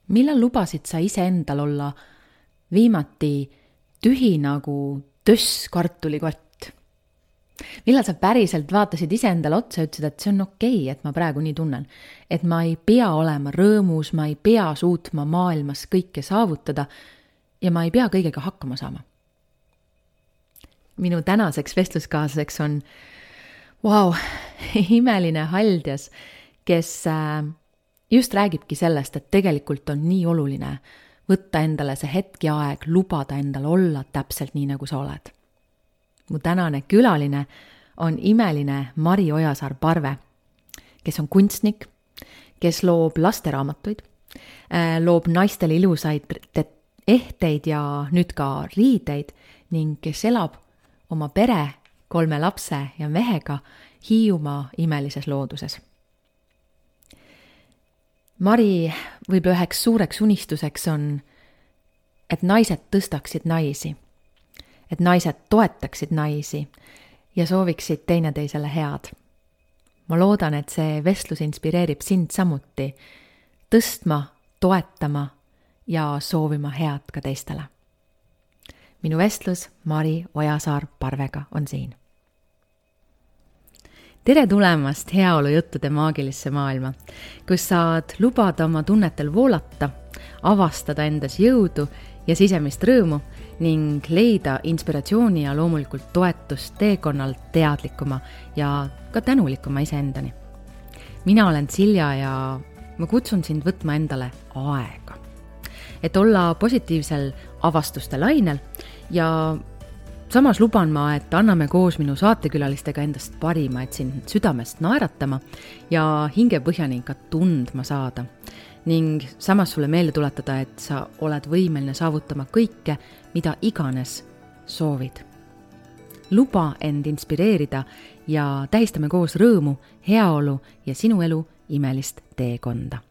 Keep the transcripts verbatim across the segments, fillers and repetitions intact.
millal lubasid sa iseendal olla viimati tühi nagu töss kartulikott? Millal sa päriselt vaatasid iseendale otsa ja ütlesid, et see on okei, et ma praegu nii tunnen. Et ma ei pea olema rõõmus, ma ei pea suutma maailmas kõike saavutada ja ma ei pea kõigega hakkama saama. Minu tänaseks vestluskaaslaseks on wow, imeline Haldjas, kes just räägibki sellest, et tegelikult on nii oluline võtta endale see hetk ja aeg, lubada endale olla täpselt nii, nagu sa oled. Mu tänane külaline on imeline Mari Ojasaar-Parve, kes on kunstnik, kes loob lasteraamatuid, loob naistele ilusaid ehteid ja nüüd ka riideid ning kes elab oma pere, kolme lapse ja mehega Hiiumaa imelises looduses. Mari võib üheks suureks unistuseks on, et naised tõstaksid naisi, et naised toetaksid naisi ja sooviksid teineteisele head. Ma loodan, et see vestlus inspireerib sind samuti tõstma, toetama ja soovima head ka teistele. Minu vestlus Mari Ojasaar-Parvega on siin. Tere tulemast heaolujuttude maagilisse maailma, kus saad lubada oma tunnetel voolata, avastada endas jõudu ja sisemist rõõmu ning leida inspiratsiooni ja loomulikult toetust teekonnalt teadlikuma ja ka tänulikuma iseendani. Mina olen Silja ja ma kutsun sind võtma endale aega, et olla positiivsel avastuste lainel ja samas luban ma, et anname koos minu saatekülalistega endast parima, et sind südamest naeratama ja hingepõhjani ka tundma saada. Ning samas sulle meelde tuletada, et sa oled võimeline saavutama kõike, mida iganes soovid. Luba end inspireerida ja tähistame koos rõõmu, heaolu ja sinu elu imelist teekonda.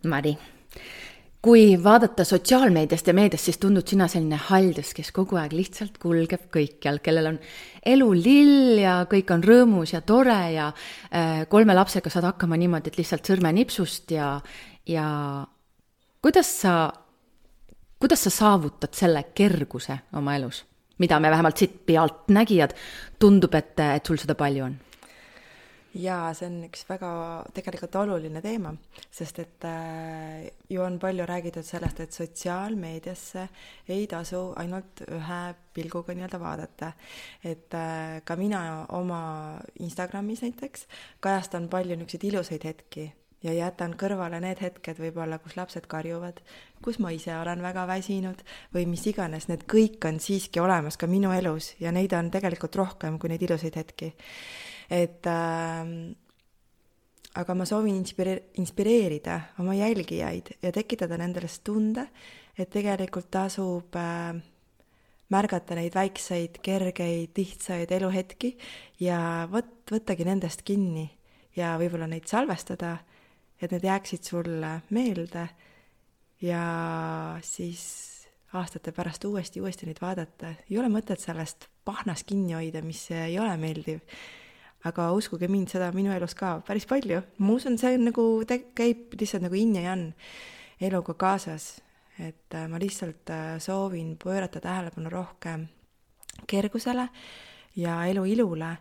Mari, kui vaadata sotsiaalmeediast ja meediast, siis tundud sina selline Haldjas, kes kogu aeg lihtsalt kulgeb kõikjal, kellel on elu lill ja kõik on rõõmus ja tore ja äh, kolme lapsega saad hakkama niimoodi, et lihtsalt sõrme nipsust ja, ja kuidas sa, kuidas sa saavutad selle kerguse oma elus, mida me vähemalt siit pealt nägijad, tundub, et, et sul seda palju on? Jaa, see on üks väga tegelikult oluline teema, sest et äh, ju on palju räägitud sellest, et sotsiaalmeediasse ei tasu ainult ühe pilguga nii-öelda vaadata. Et äh, ka mina oma Instagramis näiteks kajastan palju niisuguseid ilusaid hetki ja jätan kõrvale need hetked võib-olla, kus lapsed karjuvad, kus ma ise olen väga väsinud või mis iganes, need kõik on siiski olemas ka minu elus ja neid on tegelikult rohkem kui neid ilusaid hetki. Et, äh, aga ma soovin inspire- inspireerida oma jälgijaid ja tekitada nendest tunde, et tegelikult tasub äh, märgata neid väikseid, kergeid, lihtsaid eluhetki ja võt, võttagi nendest kinni ja võib-olla neid salvestada, et need jääksid sulle meelde ja siis aastate pärast uuesti, uuesti neid vaadata. Ei ole mõtet sellest pahnas kinni hoida, mis ei ole meeldiv. Aga uskuge mind, seda minu elus ka päris palju. Ma usun, see on nagu, te, käib lihtsalt nagu in ja jan eluga kaasas. Et ma lihtsalt soovin pöörata tähelepanu rohkem kergusele ja elu ilule.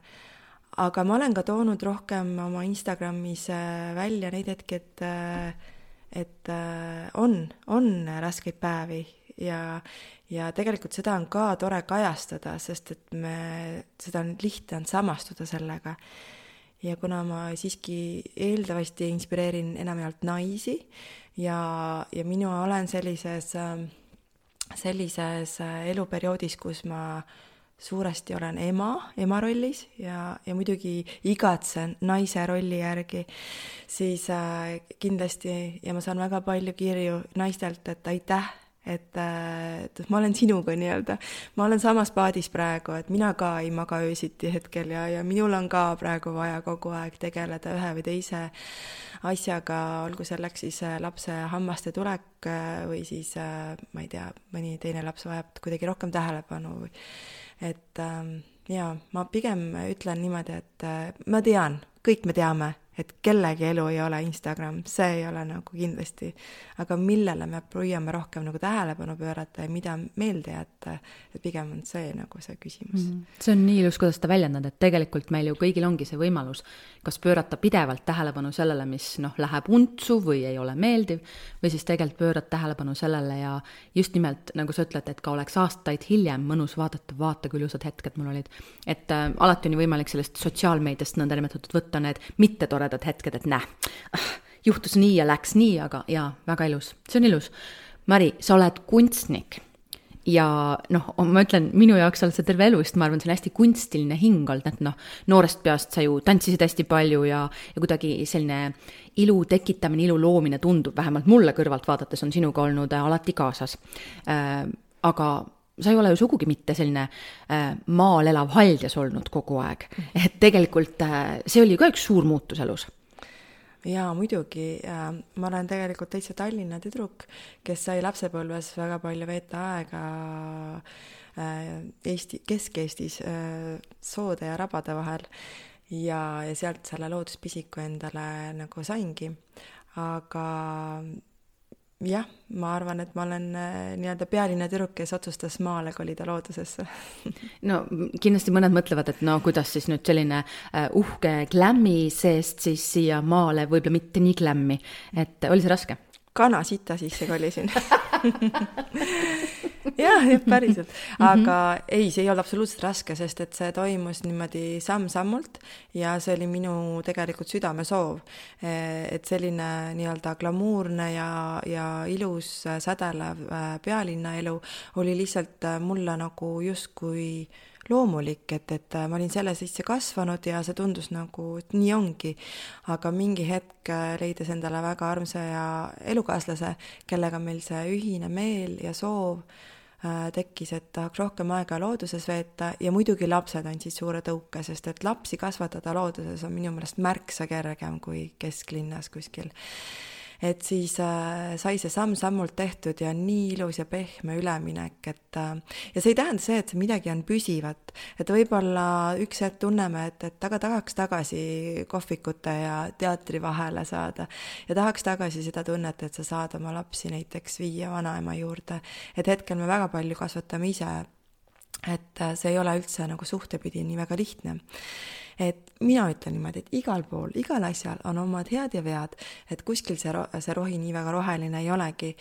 Aga ma olen ka toonud rohkem oma Instagramis välja neid hetki, et, et on, on raskeid päevi ja, ja tegelikult seda on ka tore kajastada, sest et me, seda on lihtne on samastuda sellega. Ja kuna ma siiski eeldavasti inspireerin enamjaolt naisi ja, ja minu olen sellises, sellises eluperioodis, kus ma suuresti olen ema, ema rollis ja, ja muidugi igatsen naise rolli järgi, siis äh, kindlasti, ja ma saan väga palju kirju naistelt, et aitäh, et, et ma olen sinuga nii-öelda. Ma olen samas paadis praegu, et mina ka ei maga öösiti hetkel ja, ja minul on ka praegu vaja kogu aeg tegeleda ühe või teise asjaga, olgu selleks siis lapse hammaste tulek või siis, ma ei tea, mõni teine laps vajab kuidagi rohkem tähelepanu või et ja ma pigem ütlen niimoodi, et ma tean, kõik me teame, et kellegi elu ei ole Instagram, see ei ole nagu kindlasti, aga millele me püüame rohkem nagu tähelepanu pöörata ja mida meelde jätta, et pigem on see nagu see küsimus. Mm. See on nii ilus, kuidas ta väljendad, et tegelikult meil ju kõigil ongi see võimalus, kas pöörata pidevalt tähelepanu sellele, mis noh, läheb untsu või ei ole meeldiv, või siis tegelikult pöörata tähelepanu sellele ja just nimelt, nagu sa ütled, et ka oleks aastaid hiljem mõnus vaadata, vaata kui ilusad hetked mul olid. Et äh, alati on võimalik sellest sotsiaalmeediast nõnda nimetatud võtta need mitte toredad hetked, et näh, juhtus nii ja läks nii, aga jaa, väga ilus. See on ilus. Mari, sa oled kunstnik ja noh, ma ütlen, minu jaoks oled sa terve elu, sest ma arvan, see on hästi kunstiline hing olnud, et noh, noorest peast sa ju tantsisid hästi palju ja, ja kuidagi selline ilu tekitamine, ilu loomine tundub, vähemalt mulle kõrvalt vaadates on sinuga olnud alati kaasas. Äh, aga sa ei ole ju sugugi mitte selline äh, maal elav haldjas olnud kogu aeg. Et tegelikult äh, see oli ka üks suur muutus elus. Jaa, muidugi. Ma olen tegelikult täitsa Tallinna tüdruk, kes sai lapsepõlves väga palju veeta aega Eesti, Kesk-Eestis soode ja rabade vahel ja, ja sealt selle looduspisiku endale nagu saingi. Aga jah, ma arvan, et ma olen nii-öelda pealinna tüdruk, kes otsustas maale kolida loodusesse. No kindlasti mõned mõtlevad, et no kuidas siis nüüd selline uhke glämmi seest siis siia maale võib-olla mitte nii glämmi. Et oli see raske? Kana sita sisse kolisin. jah, jah, päriselt. Aga mm-hmm. ei, see ei olnud absoluutselt raske, sest et see toimus niimoodi samm-sammult ja see oli minu tegelikult südame soov. Et selline nii-öelda glamuurne ja, ja ilus sädelev pealinna elu oli lihtsalt mulle nagu justkui loomulik, et, et ma olin selle sisse kasvanud ja see tundus nagu, et nii ongi. Aga mingi hetk leidis endale väga armsa ja elukaaslase, kellega meil see ühine meel ja soov äh, tekkis, et tahaks rohkem aega looduses veeta ja muidugi lapsed andsid suure tõuke, sest et lapsi kasvatada looduses on minu meelest märksa kergem kui kesklinnas kuskil. Et siis äh, sai see samm-sammult tehtud ja nii ilus ja pehme üleminek, et äh, ja see ei tähenda see, et see midagi on püsivat, et võib-olla üks hetk tunneme, et, et taga tahaks tagasi kohvikute ja teatri vahele saada ja tahaks tagasi seda tunnet, et sa saad oma lapsi näiteks viia vanaema juurde, et hetkel me väga palju kasvatame ise, et äh, see ei ole üldse nagu suhtepidi nii väga lihtne. Et mina ütlen niimoodi, et igal pool, igal asjal on omad head ja vead, et kuskil see, ro- see rohi nii väga roheline ei olegi.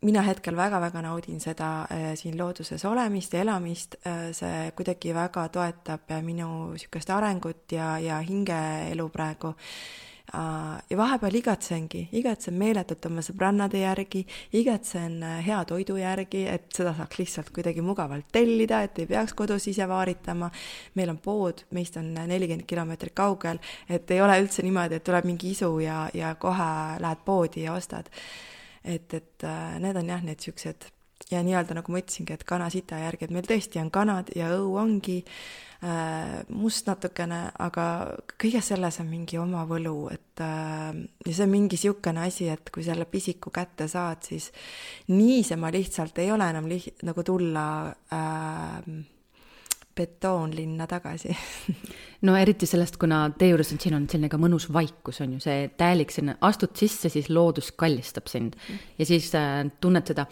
Mina hetkel väga-väga naudin seda äh, siin looduses olemist ja elamist, äh, see kuidagi väga toetab minu sükest arengut ja, ja hingeelu praegu. Ja vahepeal igatsengi, igatsen meeletult oma sõbrannade järgi, igatsen hea toidu järgi, et seda saaks lihtsalt kuidagi mugavalt tellida, et ei peaks kodus ise vaaritama. Meil on pood, meist on nelikümmend kilomeetrit kaugel, et ei ole üldse niimoodi, et tuleb mingi isu ja, ja kohe lähed poodi ja ostad. Et, et need on jah, need süksed. Ja nii-öelda nagu ma ütlesingi, et kana sita järgi, et meil tõesti on kanad ja õu ongi äh, must natukene, aga kõige selles on mingi oma võlu, et äh, ja see on mingi siukene asi, et kui selle pisiku kätte saad, siis niisema lihtsalt ei ole enam liht, nagu tulla äh, betoonlinna tagasi. No eriti sellest, kuna tee juures on siin on selline ka mõnus vaikus, on ju see täielik selline, astud sisse, siis loodus kallistab sind ja siis äh, tunned seda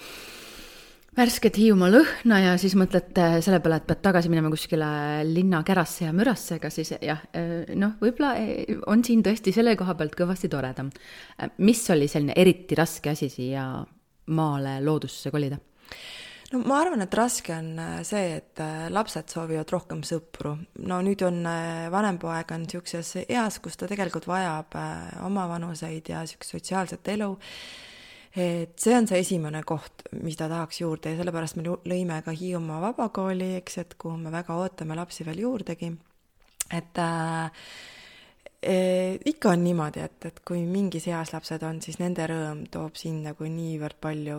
värsket Hiiumaa lõhna ja siis mõtled selle peale, et pead tagasi minema kuskile linna kärasse ja mürasse, aga siis jah, noh, võib-olla on siin tõesti selle koha pealt kõvasti toredam. Mis oli selline eriti raske asi siia maale loodusse kolida? No ma arvan, et raske on see, et lapsed soovivad rohkem sõpru. No nüüd on vanem poeg on siukses eas, kus ta tegelikult vajab oma vanuseid ja siukest sotsiaalset elu. Et see on see esimene koht, mis ta tahaks juurde ja sellepärast me lõime ka Hiiumaa vabakooli, eks, et kuhu me väga ootame lapsi veel juurdegi. Et äh, äh, ikka on niimoodi, et, et kui mingis eas lapsed on, siis nende rõõm toob siin nagu niivõrd palju,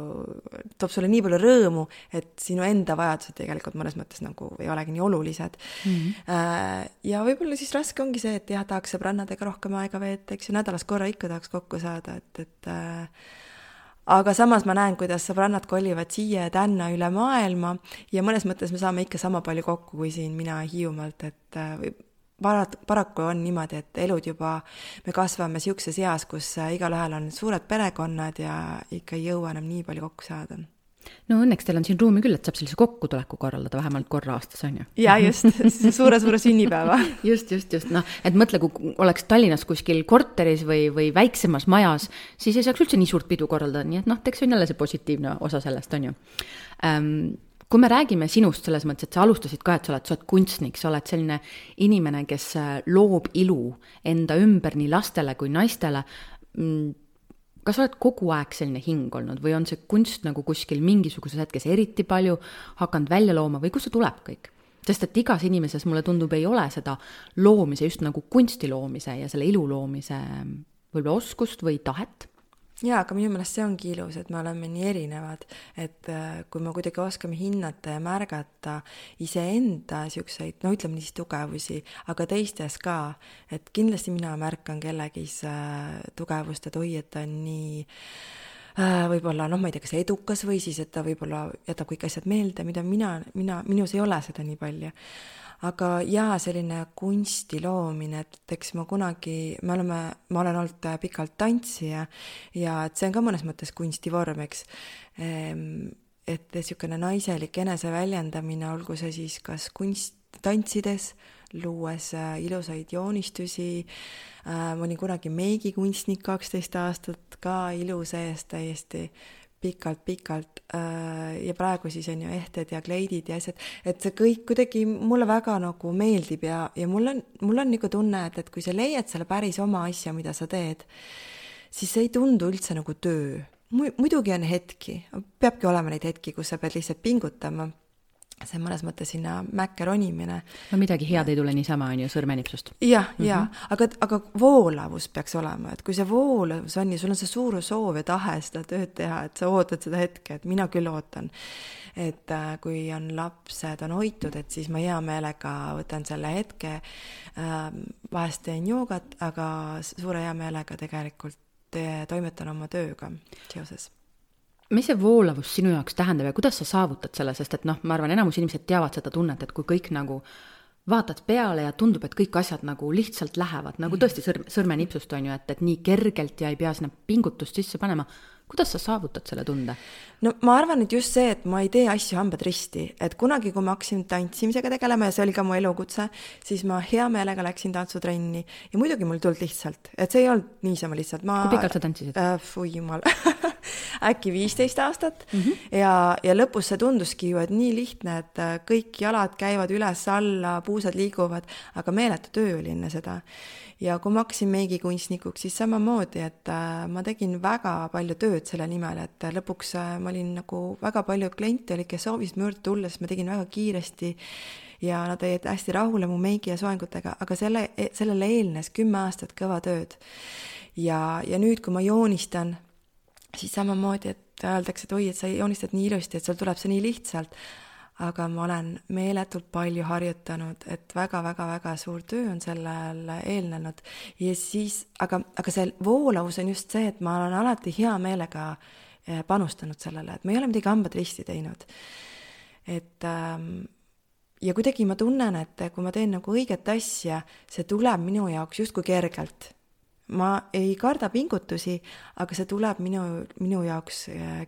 toob sulle nii palju rõõmu, et sinu enda vajadused tegelikult mõnes mõttes nagu ei olegi nii olulised. Mm-hmm. Äh, ja võib-olla siis raske ongi see, et jah, tahaks sõbrannadega rohkem aega veeta, eks ju, nädalas korra ikka tahaks kokku saada, et, et äh, aga samas ma näen, kuidas sõbrannad kolivad siia ja tänna üle maailma ja mõnes mõttes me saame ikka sama palju kokku kui siin mina Hiiumaalt, et parat-, paraku on niimoodi, et elud juba, me kasvame siukses eas, kus igalühel on suured perekonnad ja ikka ei jõua enam nii palju kokku saada. No õnneks teil on siin ruumi küll, et saab sellise kokkutuleku korraldada vähemalt korra aastas, on ju? Ja just, suure-suure sünnipäeva. just, just, just, noh, et mõtle, kui oleks Tallinnas kuskil korteris või, või väiksemas majas, siis ei saaks üldse nii suurt pidu korraldada, nii et noh, teeks on jälle see positiivne osa sellest, on ju. Ähm, kui me räägime sinust selles mõttes, et sa alustasid ka, et sa oled, sa oled kunstnik, sa oled selline inimene, kes loob ilu enda ümber nii lastele kui naistele, kas sa oled kogu aeg selline hing olnud või on see kunst nagu kuskil mingisuguses hetkes eriti palju hakanud välja looma või kus see tuleb kõik? Sest et igas inimeses mulle tundub ei ole seda loomise, just nagu kunsti loomise ja selle ilu loomise võib-olla oskust või tahet. Jaa, aga minu meelest see ongi ilus, et me oleme nii erinevad, et kui me kuidagi oskame hinnata ja märgata iseenda siukseid, no ütleme niisid tugevusi, aga teistes ka, et kindlasti mina märkan kellegis tugevust, et oi, et ta on nii võib-olla, noh, ma ei tea, kas edukas või siis, et ta võib-olla jätab kõik asjad meelde, mida mina, mina, minus ei ole seda nii palju. Aga jaa, selline kunsti loomine, et eks ma kunagi, me oleme, ma olen olnud pikalt tantsija ja et see on ka mõnes mõttes kunstivorm, eks. Et siukene naiselik eneseväljendamine, olgu see siis kas kunst tantsides, luues ilusaid joonistusi, ma olin kunagi meigikunstnik kaksteist aastat ka ilu sees täiesti pikalt-pikalt ja praegu siis on ju ehted ja kleidid ja asjad, et see kõik kuidagi mulle väga nagu meeldib ja, ja mul on, mul on nagu tunne, et, et kui sa leiad selle päris oma asja, mida sa teed, siis see ei tundu üldse nagu töö. Muidugi on hetki, peabki olema neid hetki, kus sa pead lihtsalt pingutama. See on mõnes mõttes sinna mäkke ronimine. No midagi head ei tule niisama, on ju, sõrmenipsust. Jah, mm-hmm. jah, aga, aga voolavus peaks olema, et kui see voolavus on ja sul on see suur soov ja tahe seda tööd teha, et sa ootad seda hetke, et mina küll ootan, et äh, kui on lapsed on hoitud, et siis ma hea meelega võtan selle hetke, äh, vahest teen joogat, aga suure hea meelega tegelikult te, toimetan oma tööga seoses. Mis see voolavus sinu jaoks tähendab ja kuidas sa saavutad selle, sest et noh, ma arvan, enamus inimesed teavad seda tunnet, et kui kõik nagu vaatad peale ja tundub, et kõik asjad nagu lihtsalt lähevad, nagu tõesti sõr- sõrmenipsust on ju, et, et nii kergelt ja ei pea sinna pingutust sisse panema. Kuidas sa saavutad selle tunde? No ma arvan, et just see, et ma ei tee asju hambad risti, et kunagi, kui ma hakkasin tantsimisega tegelema ja see oli ka mu elukutse, siis ma hea meelega läksin tantsutrenni ja muidugi mul tulnud lihtsalt, et see ei olnud niisama lihtsalt. Ma, kui pikalt sa tantsisid? Äh, fui jumal, äkki viisteist aastat mm-hmm. ja, ja lõpus see tunduski ju, et nii lihtne, et kõik jalad käivad üles alla, puusad liiguvad, aga meeletu töö oli enne seda. Ja kui ma hakkasin meigikunstnikuks, siis samamoodi, et ma tegin väga palju tööd selle nimel, et lõpuks ma olin nagu väga palju kliente oli, kes soovisid mürd tulla, sest ma tegin väga kiiresti ja nad olid hästi rahule mu meigi ja soengutega, aga selle, sellele eelnes kümme aastat kõva tööd. Ja, ja nüüd, kui ma joonistan, siis samamoodi, et öeldakse, et oi, et sa joonistad nii ilusti, et sul tuleb see nii lihtsalt, aga ma olen meeletult palju harjutanud, et väga-väga-väga suur töö on sellel eelnenud. Ja siis, aga, aga see voolavus on just see, et ma olen alati hea meelega panustanud sellele, et ma ei ole midagi hambad risti teinud. Et, ja kuidagi ma tunnen, et kui ma teen nagu õiget asja, see tuleb minu jaoks justkui kergelt. Ma ei karda pingutusi, aga see tuleb minu, minu jaoks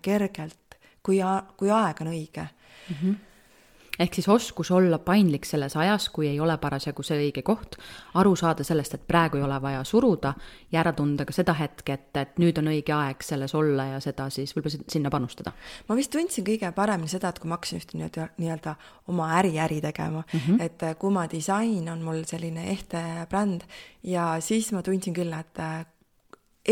kergelt, kui, kui aeg on õige. Mm-hmm. Ehk siis oskus olla paindlik selles ajas, kui ei ole parasjagu see õige koht, aru saada sellest, et praegu ei ole vaja suruda ja ära tunda ka seda hetke, et, et nüüd on õige aeg selles olla ja seda siis võib-olla sinna panustada. Ma vist tundsin kõige paremini seda, et kui ma hakkasin just nii-öelda oma äri-äri tegema, mm-hmm. et Kuma disain on mul selline ehte bränd ja siis ma tundsin küll, et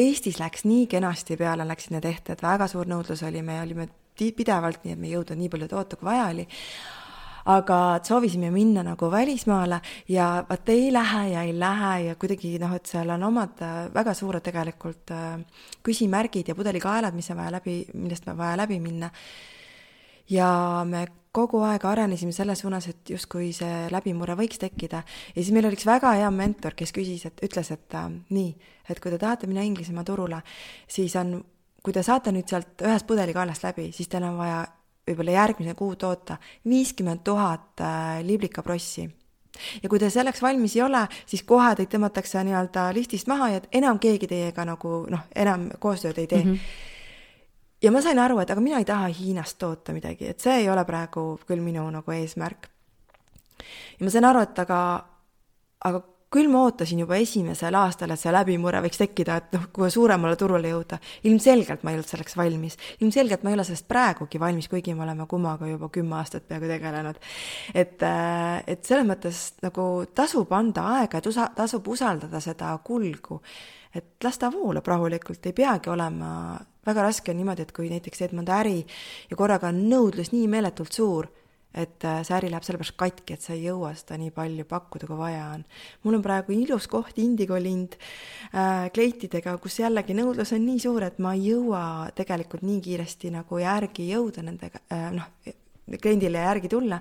Eestis läks nii kenasti peale, läksid need ehted, väga suur nõudlus oli, me olime pidevalt nii, et me ei jõudnud nii palju toota, kui vaja oli. Aga soovisime minna nagu välismaale ja vaat ei lähe ja ei lähe ja kuidagi noh, et seal on omad väga suured tegelikult küsimärgid ja pudelikaelad, mis on vaja läbi, millest on vaja läbi minna. Ja me kogu aeg arenesime selles suunas, et justkui see läbimurre võiks tekkida. Ja siis meil oli üks väga hea mentor, kes küsis, et ütles, et äh, nii, et kui te tahate minna Inglismaa turule, siis on, kui te saate nüüd sealt ühest pudelikaelast läbi, siis teil on vaja võib-olla järgmise kuu toota viiskümmend tuhat liblikaprossi. ja kui te selleks valmis ei ole, siis kohe teid tõmmatakse nii-öelda listist maha ja enam keegi teiega nagu noh, enam koostööd ei tee. Mm-hmm. Ja ma sain aru, et aga mina ei taha Hiinast toota midagi, et see ei ole praegu küll minu nagu eesmärk. Ja ma sain aru, et aga, aga küll ma ootasin juba esimesel aastal, et see läbimurre võiks tekkida, et noh, kui suuremale turule jõuda. Ilmselgelt ma ei olnud selleks valmis. Ilmselgelt ma ei ole sellest praegugi valmis, kuigi me oleme kumaga juba kümme aastat peaaegu tegelenud. Et, et selles mõttes nagu tasub anda aega, et usa, tasub usaldada seda kulgu. Et las ta voolab rahulikult, ei peagi olema, väga raske on niimoodi, et kui näiteks teed mõnda äri ja korraga on nõudlus nii meeletult suur, et see äri läheb sellepärast katki, et sa ei jõua seda nii palju pakkuda, kui vaja on. Mul on praegu ilus koht Indigolind äh, kleitidega, kus jällegi nõudlus on nii suur, et ma ei jõua tegelikult nii kiiresti nagu järgi jõuda nendega, äh, noh, kliendile järgi tulla.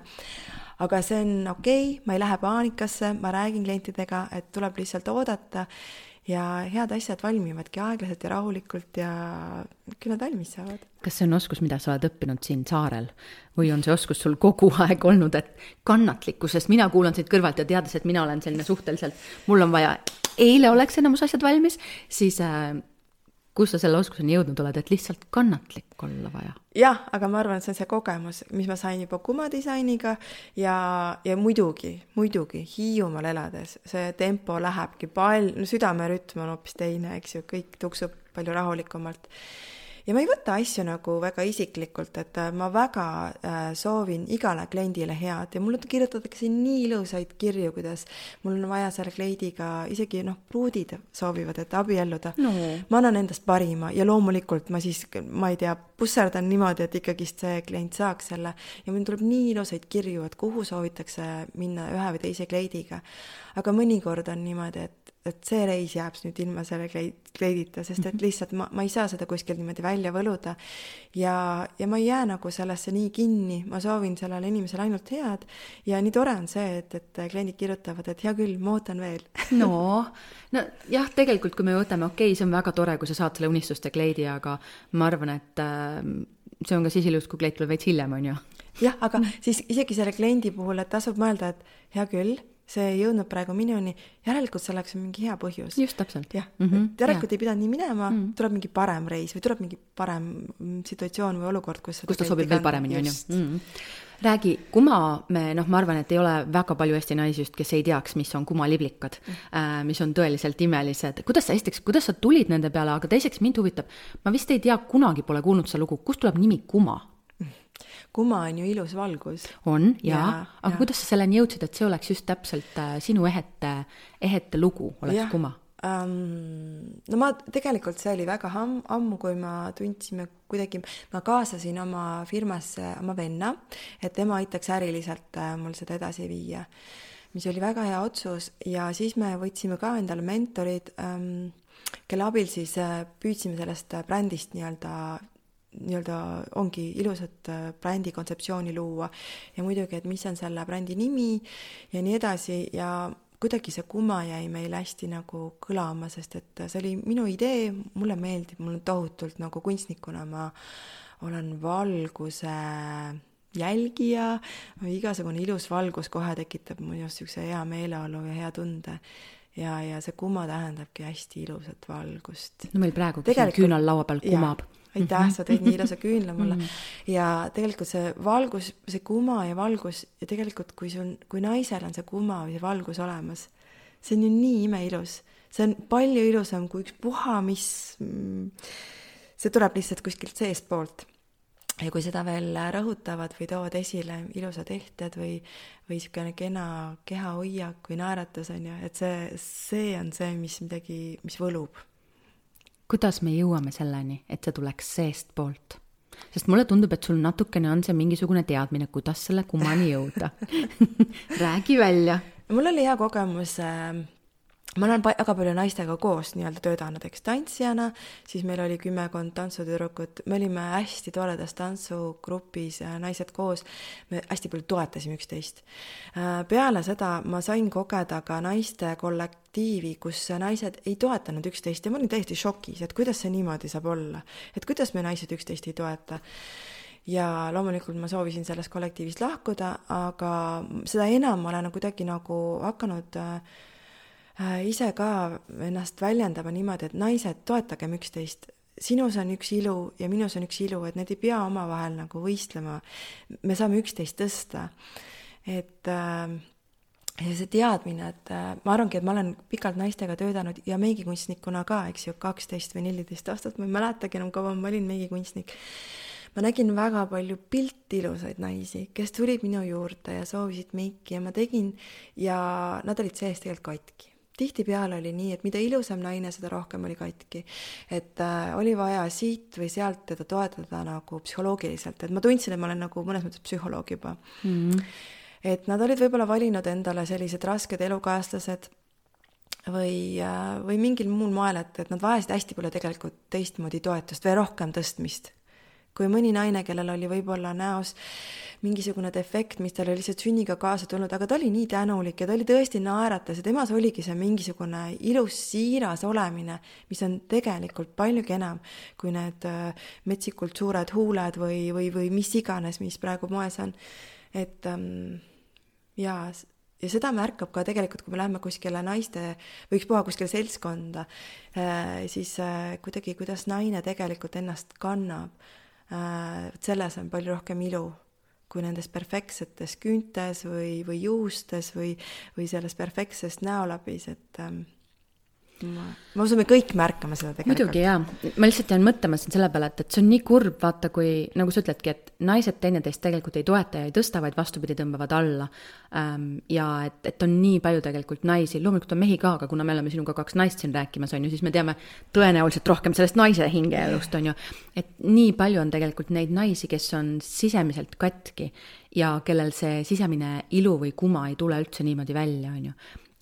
Aga see on okei, ma ei lähe paanikasse, ma räägin klientidega, et tuleb lihtsalt oodata ja head asjad valmivadki aeglaselt ja rahulikult ja küll nad valmis saavad. Kas see on oskus, mida sa oled õppinud siin saarel? Või on see oskus sul kogu aeg olnud, et kannatlikku, sest mina kuulan siit kõrvalt ja teades, et mina olen selline suhteliselt, mul on vaja, eile oleks enamus asjad valmis, siis äh, kus sa selle oskuseni jõudnud oled, et lihtsalt kannatlik olla vaja? Jah, aga ma arvan, et see on see kogemus, mis ma sain juba Kuma disainiga ja, ja muidugi, muidugi Hiiumaal elades see tempo lähebki palju, no südamerütm on hoopis teine, eks ju, kõik tuksub palju rahulikumalt. Ja ma ei võta asju nagu väga isiklikult, et ma väga äh, soovin igale kliendile head ja mulle kirjutatakse nii ilusaid kirju, kuidas mul on vaja selle kleidiga, isegi noh, pruudid soovivad, et abielluda. No. Ma annan endast parima ja loomulikult ma siis, ma ei tea, pusserdan niimoodi, et ikkagist see klient saaks selle ja mul tuleb nii ilusaid kirju, et kuhu soovitakse minna ühe või teise kleidiga. Aga mõnikord on niimoodi, et et see reis jääb nüüd ilma selle kleidita, sest et lihtsalt ma, ma ei saa seda kuskil niimoodi välja võluda ja, ja ma ei jää nagu sellesse nii kinni, ma soovin sellele inimesele ainult head ja nii tore on see, et, et kliendid kirjutavad, et hea küll, ma ootan veel. No, no jah, tegelikult kui me võtame, okei, see on väga tore, kui sa saad selle unistuste kleidi, aga ma arvan, et äh, see on ka siis ilus, kui kleid tuleb veits hiljem, on ju. Jah, aga siis isegi selle kliendi puhul, et tasub mõelda, et hea küll, see ei jõudnud praegu minuni, järelikult selleks on mingi hea põhjus. Just täpselt. Jah, mm-hmm. järelikult ei pidanud nii minema, mm-hmm. tuleb mingi parem reis või tuleb mingi parem situatsioon või olukord, kus, kus ta sobib veel paremini, on ju. Mm-hmm. Räägi, Kuma, me, noh, ma arvan, et ei ole väga palju Eesti naisi just, kes ei teaks, mis on Kuma liblikad, mm-hmm. mis on tõeliselt imelised. Kuidas sa esiteks, kuidas sa tulid nende peale, aga teiseks mind huvitab, ma vist ei tea, kunagi pole kuulnud seda lugu, kust tuleb nimi Kuma? Kuma on ju ilus valgus. On, jaa. Ja, aga ja. Kuidas sa selleni jõudsid, et see oleks just täpselt äh, sinu ehete, ehete lugu, oleks ja. Kuma? Um, no ma tegelikult see oli väga ham, ammu, kui ma tundsime kuidagi, ma kaasasin oma firmasse oma venna, et tema aitaks äriliselt äh, mul seda edasi viia, mis oli väga hea otsus ja siis me võtsime ka endale mentorid, ähm, kelle abil siis äh, püüdsime sellest brändist nii-öelda nii-öelda ongi ilusat brändi kontseptsiooni luua ja muidugi, et mis on selle brändi nimi ja nii edasi ja kuidagi see Kuma jäi meil hästi nagu kõlama, sest et see oli minu idee, mulle meeldib, mul on tohutult nagu kunstnikuna, ma olen valguse jälgija, igasugune ilus valgus kohe tekitab mu just sükse hea meeleolu ja hea tunde ja, ja see Kuma tähendabki hästi ilusat valgust. No meil praegu küünal laua peal kumab. Aitäh, sa teed nii ilusa küünla mulle. Ja tegelikult see valgus, see Kuma ja valgus ja tegelikult kui, sul, kui naisel on see Kuma või see valgus olemas, see on ju nii imeilus. See on palju ilusam kui üks puha, mis see tuleb lihtsalt kuskilt seest poolt. Ja kui seda veel rõhutavad või toovad esile ilusad ehted või, või niisugune kena keha hoiak või naeratus on ju, et see, see on see, mis midagi, mis võlub. Kuidas me jõuame selleni, et see tuleks seest poolt? Sest mulle tundub, et sul natukene on see mingisugune teadmine, kuidas selle Kumani jõuda. Räägi välja. Mul oli hea kogemus, ma olen väga palju naistega koos nii-öelda töötanud, eks tantsijana, siis meil oli kümmekond tantsutüdrukut, me olime hästi toredas tantsugrupis, naised koos, me hästi palju toetasime üksteist. Peale seda ma sain kogeda ka naiste kollektiivi, kus naised ei toetanud üksteist ja ma olin täiesti šokis, et kuidas see niimoodi saab olla, et kuidas me naised üksteist ei toeta. ja loomulikult ma soovisin sellest kollektiivist lahkuda, aga seda enam ma olen kuidagi nagu hakanud äh, ise ka ennast väljendama niimoodi, et naised, toetagem üksteist. Sinus on üks ilu ja minus on üks ilu, et need ei pea omavahel nagu võistlema. Me saame üksteist tõsta. Et äh, ja see teadmine, et äh, ma arvangi, et ma olen pikalt naistega töötanud ja meigikunstnikuna ka, eks ju, kaksteist või neliteist aastat, ma ei mäletagi enam kaua ma olin meigikunstnik. Ma nägin väga palju pilti ilusaid naisi, kes tulid minu juurde ja soovisid meiki ja ma tegin ja nad olid sees tegelikult katki. Tihtipeale oli nii, et mida ilusam naine, seda rohkem oli katki. Et äh, oli vaja siit või sealt teda toetada nagu psühholoogiliselt. Et ma tundsin, et ma olen nagu mõnes mõttes psühholoog juba. Mm-hmm. Et nad olid võib-olla valinud endale sellised rasked elukaaslased või, äh, või mingil muul moel, et, et nad vajasid hästi palju tegelikult teistmoodi toetust või rohkem tõstmist. Kui mõni naine, kellel oli võib-olla näos mingisugune defekt, mis tal oli lihtsalt sünniga kaasa tulnud, aga ta oli nii tänulik ja ta oli tõesti naeratas ja temas oligi see mingisugune ilus siiras olemine, mis on tegelikult paljugi enam kui need metsikult suured huuled või, või, või mis iganes, mis praegu moes on. Et ähm, jaa, ja seda märkab ka tegelikult, kui me läheme kuskile naiste või ükspuha kuskile seltskonda, äh, siis äh, kuidagi, kuidas naine tegelikult ennast kannab. Selles on palju rohkem ilu kui nendes perfektsetes küüntes või, või juustes või, või selles perfektses näolabis, et ähm, ma, ma usun, me kõik märkame seda tegelikult. Muidugi jaa, ma lihtsalt jään mõtlema siin selle peale, et, et see on nii kurb, vaata kui, nagu sa ütledki, et naised teineteist tegelikult ei toeta ja ei tõsta, vaid vastupidi tõmbavad alla ähm, ja et, et on nii palju tegelikult naisi, loomulikult on mehi ka, aga kuna me oleme sinuga kaks naist siin rääkimas, on ju, siis me teame tõenäoliselt rohkem sellest naise hingeelust, on ju, et nii palju on tegelikult neid naisi, kes on sisemiselt katki ja kellel see sisemine ilu või kuma ei tule üldse niimoodi välja, on ju.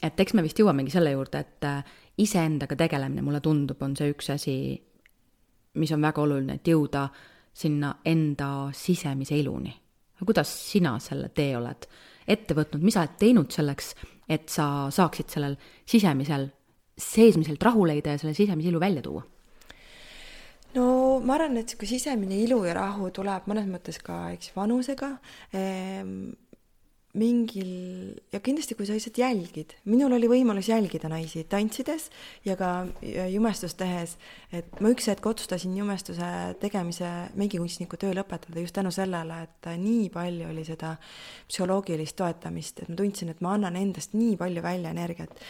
Et eks me vist jõuamegi selle juurde, et iseendaga tegelemine, mulle tundub, on see üks asi, mis on väga oluline, et jõuda sinna enda sisemise iluni. Kuidas sina selle tee oled ette võtnud, mis sa oled teinud selleks, et sa saaksid sellel sisemisel, seesmiselt rahu leida ja selle sisemise ilu välja tuua? No ma arvan, et kui sisemine ilu ja rahu tuleb mõnes mõttes ka eks, vanusega, ehm, mingil, ja kindlasti kui sa lihtsalt jälgid, minul oli võimalus jälgida naisi tantsides ja ka jumestust tehes, et ma üks hetk otsustasin jumestuse tegemise meigikunstniku töö lõpetada just tänu sellele, et nii palju oli seda psühholoogilist toetamist, et ma tundsin, et ma annan endast nii palju välja energiat,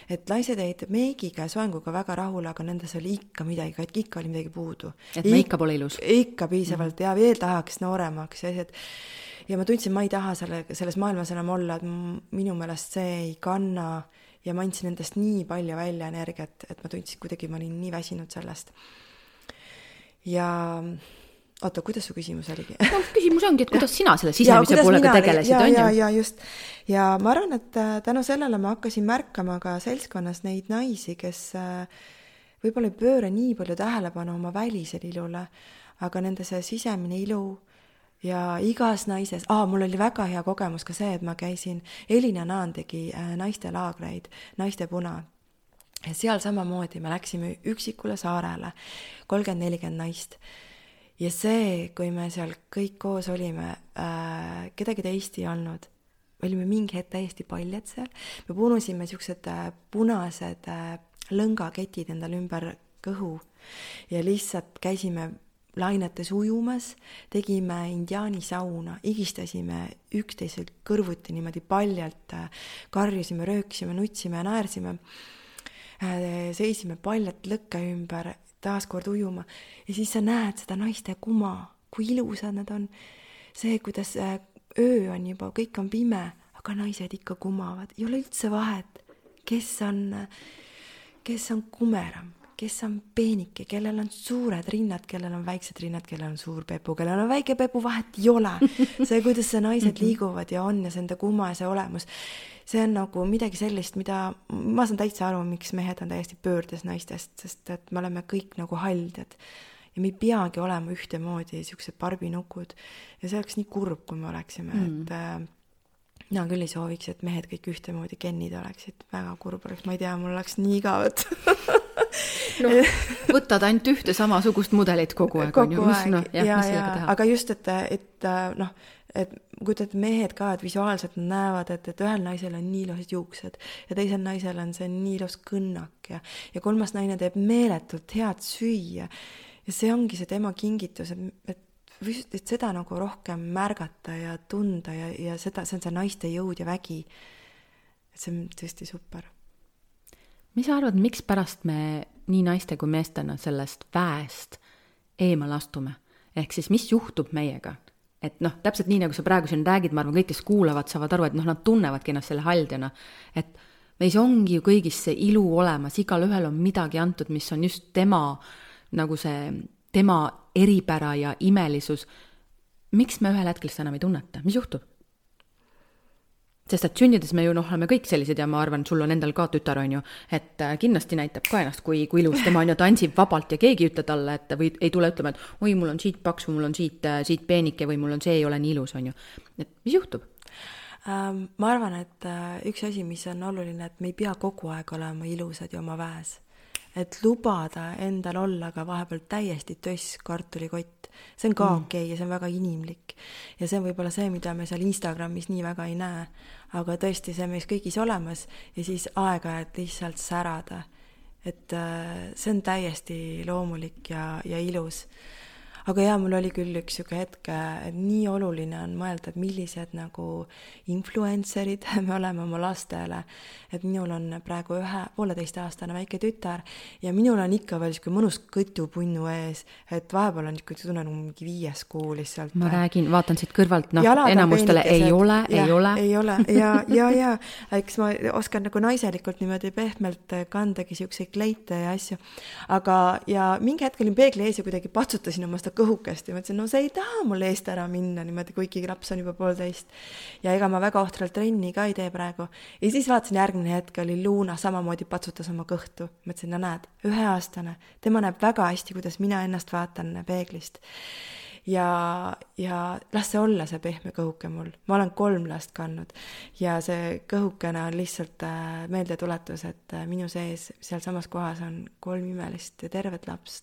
et naised jäid meigiga ja soenguga väga rahule, aga nendes oli ikka midagi, ikka oli midagi puudu. Et me ikka pole ilus. Ikka piisavalt mm. ja veel tahaks nooremaks ja et ja ma tundsin, ma ei taha selle, selles maailmas enam olla, et minu meelest see ei kanna ja ma andsin endast nii palju välja energiat, et ma tundsin kuidagi, ma olin nii väsinud sellest. Ja oota, kuidas su küsimus oligi? No, küsimus ongi, et kuidas sina selle sisemise poolega tegelesid, ja, on ju? Ja, ja just. Ja ma arvan, et tänu sellele ma hakkasin märkama ka seltskonnas neid naisi, kes võib-olla ei pööra nii palju tähelepanu oma välisel ilule, aga nende see sisemine ilu ja igas naises, aa, mul oli väga hea kogemus ka see, et ma käisin, Elina Naan tegi naiste laagreid, naiste puna. Ja seal samamoodi me läksime üksikule saarele, kolmkümmend nelikümmend naist. Ja see, kui me seal kõik koos olime, äh, kedagi teist ei olnud, me olime mingi hetk täiesti paljad seal, me punusime siuksed äh, punased äh, lõngaketid endal ümber kõhu ja lihtsalt käisime lainetes ujumas, tegime indiaani sauna, igistasime üksteiselt kõrvuti niimoodi paljalt, karjusime, rööksime, nutsime ja naersime, seisime paljalt lõkke ümber, taaskord ujuma ja siis sa näed seda naiste kuma, kui ilusad nad on. See, kuidas öö on juba, kõik on pime, aga naised ikka kumavad, ei ole üldse vahet, kes on, kes on kumeram, kes on peenike, kellel on suured rinnad, kellel on väiksed rinnad, kellel on suur pepu, kellel on väike pepu, vahet ei ole. See, kuidas see naised liiguvad ja on ja see enda kuma ja see olemus, see on nagu midagi sellist, mida ma saan täitsa aru, miks mehed on täiesti pöördes naistest, sest et me oleme kõik nagu haldjad ja me ei peagi olema ühtemoodi siuksed barbinukud ja see oleks nii kurb, kui me oleksime, mm. et mina küll ei sooviks, et mehed kõik ühtemoodi gennid oleksid, väga kurb oleks, ma ei tea, mul oleks nii igavat. no, võtad ainult ühte samasugust mudelit kogu aeg. Kogu on ju? aeg, no, jah, ja, ja, aga just, et, et noh, et kujutad mehed ka, et visuaalselt näevad, et, et ühel naisel on nii ilusad juuksed ja teisel naisel on see nii ilus kõnnak ja, ja kolmas naine teeb meeletult head süüa. Ja see ongi see tema kingitus, et, et et seda nagu rohkem märgata ja tunda ja, ja seda, see on see naiste jõud ja vägi. Et see on tõesti super. Mis sa arvad, miks pärast me nii naiste kui meestena sellest väest eemal astume? Ehk siis, mis juhtub meiega? Et noh, täpselt nii, nagu sa praegu siin räägid, ma arvan, kõik, kes kuulavad, saavad aru, et noh, nad tunnevadki ennast selle haldjana. Et meis ongi ju kõigis see ilu olemas, igal ühel on midagi antud, mis on just tema, nagu see tema eripära ja imelisus. Miks me ühel hetkel seda enam ei tunneta? Mis juhtub? Sest et sündides me ju noh, oleme kõik sellised ja ma arvan, sul on endal ka tütar, on ju, et kindlasti näitab ka ennast, kui, kui ilus tema on ja tantsib vabalt ja keegi ütle talle, et või ei tule ütlema, et oi, mul on siit paks või mul on siit, siit peenike või mul on see ei ole nii ilus, on ju. Et mis juhtub? Ähm, ma arvan, et üks asi, mis on oluline, et me ei pea kogu aeg olema ilusad ja oma väes. Et lubada endal olla ka vahepeal täiesti töss kartulikott. See on ka mm. okei okay, ja see on väga inimlik. Ja see on võib-olla see, mida me seal Instagramis nii väga ei näe. Aga tõesti, see on meis kõigis olemas ja siis aega, et lihtsalt särada. Et see on täiesti loomulik ja, ja ilus. Aga jaa, mul oli küll üks siuke hetk, et nii oluline on mõelda, et millised nagu influencerid me oleme oma lastele. Et minul on praegu ühe pooleteist aastane väike tütar ja minul on ikka veel siuke mõnus kõtupunnu ees, et vahepeal on siuke tunne nagu mingi viies kuu lihtsalt. Ma räägin, vaatan siit kõrvalt, noh, enamustele ei ole, ja, ei ole. Ei ole, ja, ja, ja, eks ma oskan nagu naiselikult niimoodi pehmelt kandagi siukseid kleite ja asju. Aga, ja mingi hetk olin peegli ees ja kuidagi patsutasin oma seda kõhukest ja mõtlesin, no see ei taha mul eest ära minna niimoodi, kuigi laps on juba poolteist. Ja ega ma väga ohtralt trenni ka ei tee praegu. Ja siis vaatasin järgmine hetk, oli Luuna samamoodi patsutas oma kõhtu. Mõtlesin, no näed, üheaastane. Tema näeb väga hästi, kuidas mina ennast vaatan peeglist. Ja, ja las see olla see pehme kõhuke mul. Ma olen kolm last kandnud ja see kõhukene on lihtsalt meeldetuletus, et minu sees seal samas kohas on kolm imelist ja tervet lapst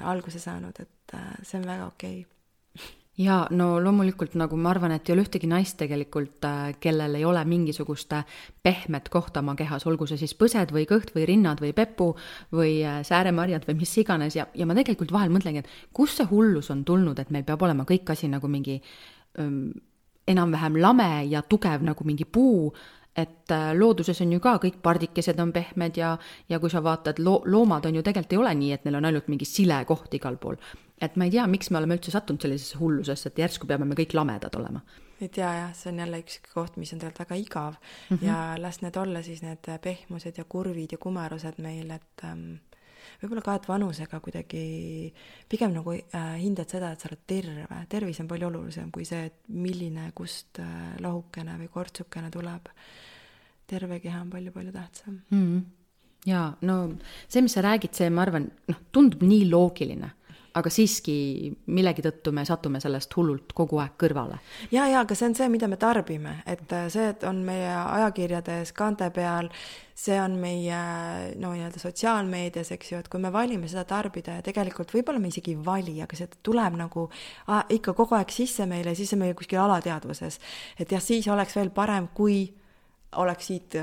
alguse saanud, et see on väga okei. Ja no loomulikult nagu ma arvan, et ei ole ühtegi naist tegelikult, kellel ei ole mingisugust pehmet kohta oma kehas, olgu see siis põsed või kõht või rinnad või pepu või sääremarjad või mis iganes ja, ja ma tegelikult vahel mõtlengi, et kus see hullus on tulnud, et meil peab olema kõik asi nagu mingi öm, enam-vähem lame ja tugev nagu mingi puu, et looduses on ju ka kõik pardikesed on pehmed ja, ja kui sa vaatad, lo- loomad on ju tegelikult ei ole nii, et neil on ainult mingi sile koht igal pool. Et ma ei tea, miks me oleme üldse sattunud sellisesse hullusesse, et järsku peame me kõik lamedad olema. Ei tea jah, see on jälle üks koht, mis on tegelikult väga igav mm -hmm. ja las need olla siis need pehmused ja kurvid ja kumerused meil, et ähm, võib-olla ka, et vanusega kuidagi pigem nagu äh, hindad seda, et sa oled terve. Tervis on palju olulisem kui see, et milline kust äh, lohukene või kortsukene tuleb. Terve keha on palju-palju tähtsam. Mm -hmm. Ja no see, mis sa räägid, see ma arvan, noh, tundub nii loogiline, aga siiski millegi tõttu me satume sellest hullult kogu aeg kõrvale. Ja, ja, aga see on see, mida me tarbime, et see, et on meie ajakirjades kaante peal, see on meie no, nii-öelda sotsiaalmeedias, eks ju, et kui me valime seda tarbida ja tegelikult võib-olla me isegi ei vali, aga see tuleb nagu ah, ikka kogu aeg sisse meile ja siis on meil kuskil alateadvuses, et jah, siis oleks veel parem, kui oleks siit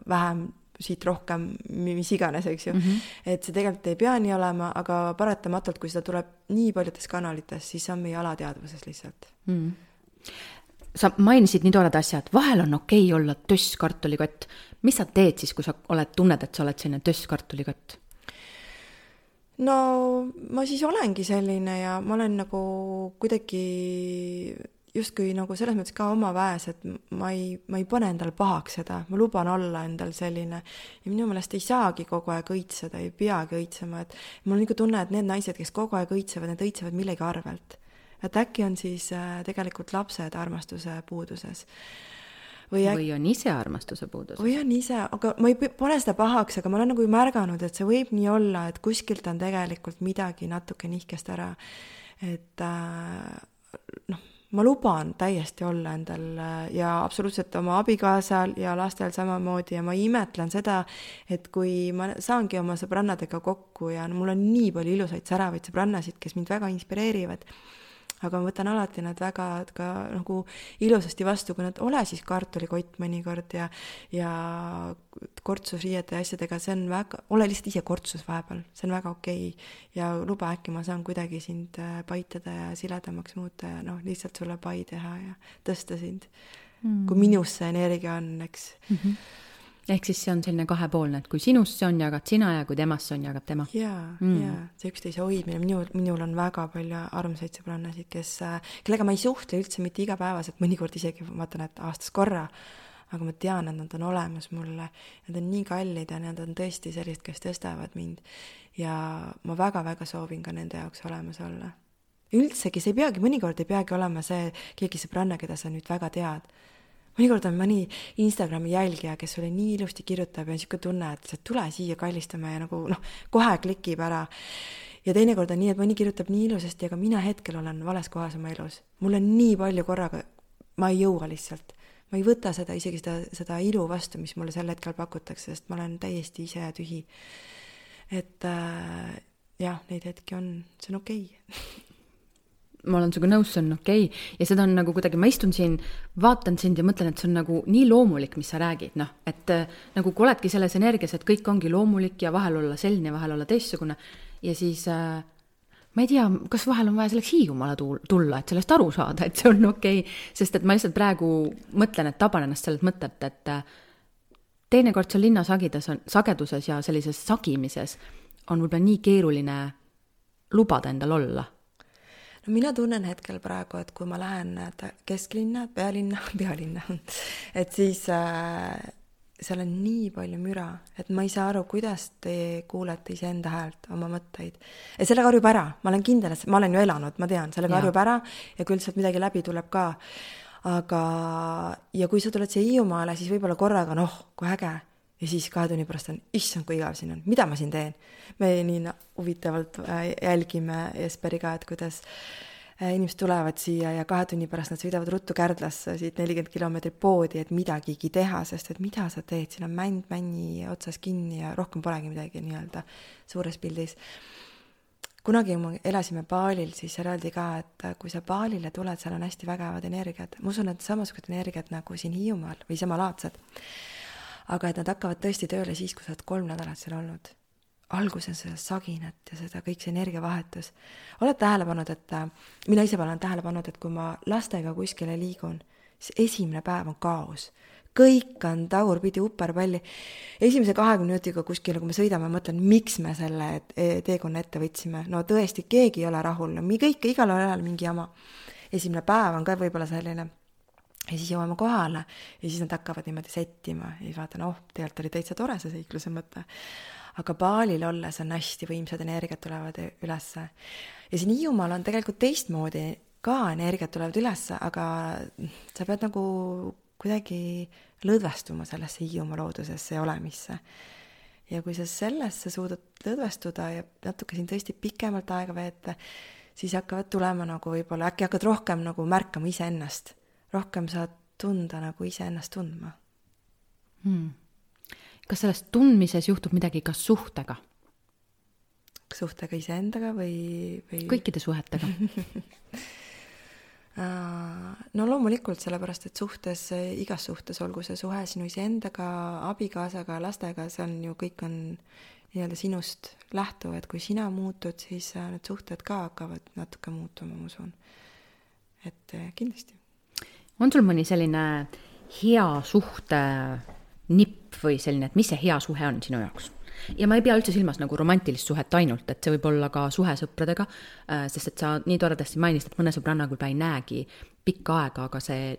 vähem siit rohkem, mis iganes, eks ju. Mm-hmm. Et see tegelikult ei pea nii olema, aga paratamatult, kui seda tuleb nii paljudes kanalites, siis on meie alateadvuses lihtsalt. Mm. Sa mainisid nii toored asjad, vahel on okei olla töss kartulikott. Mis sa teed siis, kui sa oled tunned, et sa oled selline töss kartulikott? No ma siis olengi selline ja ma olen nagu kuidagi justkui nagu selles mõttes ka oma väes, et ma ei, ma ei pane endal pahaks seda, ma luban olla endal selline ja minu meelest ei saagi kogu aeg õitseda, ei peagi õitsema, et mul on nagu tunne, et need naised, kes kogu aeg õitsevad, need õitsevad millegi arvelt. Et äkki on siis tegelikult lapsed armastuse puuduses. Või, äk... või on ise armastuse puuduses. Või on ise, aga ma ei pane seda pahaks, aga ma olen nagu märganud, et see võib nii olla, et kuskilt on tegelikult midagi natuke nihkest ära, et äh, noh, ma luban täiesti olla endal ja absoluutselt oma abikaasal ja lastel samamoodi ja ma imetlen seda, et kui ma saangi oma sõbrannadega kokku ja mul on nii palju ilusaid säravaid sõbrannasid, kes mind väga inspireerivad, aga ma võtan alati nad väga ka nagu ilusasti vastu, kui nad ole siis kartulikott mõnikord ja, ja kortsus riiete ja asjadega, see on väga, ole lihtsalt ise kortsus vahepeal, see on väga okei ja luba äkki ma saan kuidagi sind paitada ja siledamaks muuta ja noh, lihtsalt sulle pai teha ja tõsta sind, mm. kui minus see energia on, eks. Mm-hmm. Ehk siis see on selline kahepoolne, et kui sinust see on, jagad sina ja kui temast see on, jagab tema. Jaa, mm. jaa, see üksteise hoidmine, minul, minul on väga palju armsaid sõbrannasid, kes, kellega ma ei suhtle üldse mitte igapäevaselt, mõnikord isegi vaatan, et aastas korra, aga ma tean, et nad on olemas mulle, nad on nii kallid ja nad on tõesti sellised, kes tõstavad mind ja ma väga-väga soovin ka nende jaoks olemas olla. Üldsegi see ei peagi, mõnikord ei peagi olema see keegi sõbranna, keda sa nüüd väga tead. Mõnikord on mõni Instagrami jälgija, kes sulle nii ilusti kirjutab ja niisugune tunne, et sa tule siia kallistama ja nagu noh, kohe klikib ära. Ja teinekord on nii, et mõni kirjutab nii ilusasti, aga mina hetkel olen vales kohas oma elus. Mul on nii palju korraga, ma ei jõua lihtsalt. Ma ei võta seda, isegi seda, seda ilu vastu, mis mulle sel hetkel pakutakse, sest ma olen täiesti ise ja tühi. Et äh, jah, neid hetki on, see on okei. Ma olen sinuga nõus, see on okei. Ja seda on nagu kuidagi, ma istun siin, vaatan sind ja mõtlen, et see on nagu nii loomulik, mis sa räägid. Noh, et nagu kui oledki selles energias, et kõik ongi loomulik ja vahel olla selline, vahel olla teistsugune. Ja siis äh, ma ei tea, kas vahel on vaja selleks Hiiumaale tulla, et sellest aru saada, et see on okei. Sest et ma lihtsalt praegu mõtlen, et taban ennast sellelt mõtet, et teinekord seal linna sagides on, sageduses ja sellises sagimises on võib-olla nii keeruline lubada endal olla. No mina tunnen hetkel praegu, et kui ma lähen kesklinna, pealinna, pealinna, et siis äh, seal on nii palju müra, et ma ei saa aru, kuidas te kuulete ise enda häält, oma mõtteid. Ja sellega harjub ära, ma olen kindel, et ma olen ju elanud, ma tean, sellega ja. harjub ära ja küll sealt midagi läbi tuleb ka. Aga, ja kui sa tuled siia Hiiumaale, siis võib-olla korraga, noh, kui äge. Ja siis kahe tunni pärast on, issand, kui igav siin on, mida ma siin teen? Me nii huvitavalt jälgime Jesperiga, et kuidas inimesed tulevad siia ja kahe tunni pärast nad sõidavad ruttu Kärdlasse siit nelikümmend kilomeetrit poodi, et midagigi teha, sest et mida sa teed, siin on mänd männi otsas kinni ja rohkem polegi midagi nii-öelda suures pildis. Kunagi me elasime Baalil, siis seal öeldi ka, et kui sa Baalile tuled, seal on hästi vägevad energiat. Ma usun, et samasugused energiat nagu siin Hiiumaal või samalaadsed. Aga et nad hakkavad tõesti tööle siis, kui sa oled kolm nädalat seal olnud. Alguses seda saginat ja seda kõik see energiavahetus. Oled tähele pannud, et mina ise olen tähele pannud, et kui ma lastega kuskile liigun, siis esimene päev on kaos. Kõik on tagurpidi upperpalli. Esimese kahekümne minutiga kuskile, kui me sõidame, mõtlen, miks me selle teekonna ette võtsime. No tõesti, keegi ei ole rahul. No, kõik, igal ajal mingi jama. Esimene päev on ka võib-olla selline. Ja siis jõuame kohale ja siis nad hakkavad niimoodi settima ja siis vaatan, oh, tegelikult oli täitsa tore see seikluse mõte. Aga Baalil olles on hästi võimsad energiat tulevad ülesse. Ja siin Hiiumaal on tegelikult teistmoodi ka energiat tulevad ülesse, aga sa pead nagu kuidagi lõdvestuma sellesse Hiiumaa loodusesse ja olemisse. Ja kui sa sellesse suudad lõdvestuda ja natuke siin tõesti pikemalt aega veeta, siis hakkavad tulema nagu võib-olla, äkki hakkad rohkem nagu märkama ise ennast. Rohkem saad tunda nagu ise ennast tundma. Hmm. Kas sellest tundmises juhtub midagi ka suhtega? Suhtega iseendaga või, või... Kõikide suhetega. No loomulikult sellepärast, et suhtes, igas suhtes, olgu see suhe sinu iseendaga, abikaasaga, lastega, see on ju kõik on nii-öelda sinust lähtuv, et kui sina muutud, siis need suhted ka hakkavad natuke muutuma, ma usun. Et kindlasti. On sul mõni selline hea suhte nipp või selline, et mis see hea suhe on sinu jaoks? Ja ma ei pea üldse silmas nagu romantilist suhet ainult, et see võib olla ka suhe sõpradega, sest et sa nii toredasti mainist, et mõne sõbranna küll ei näegi pikka aega, aga see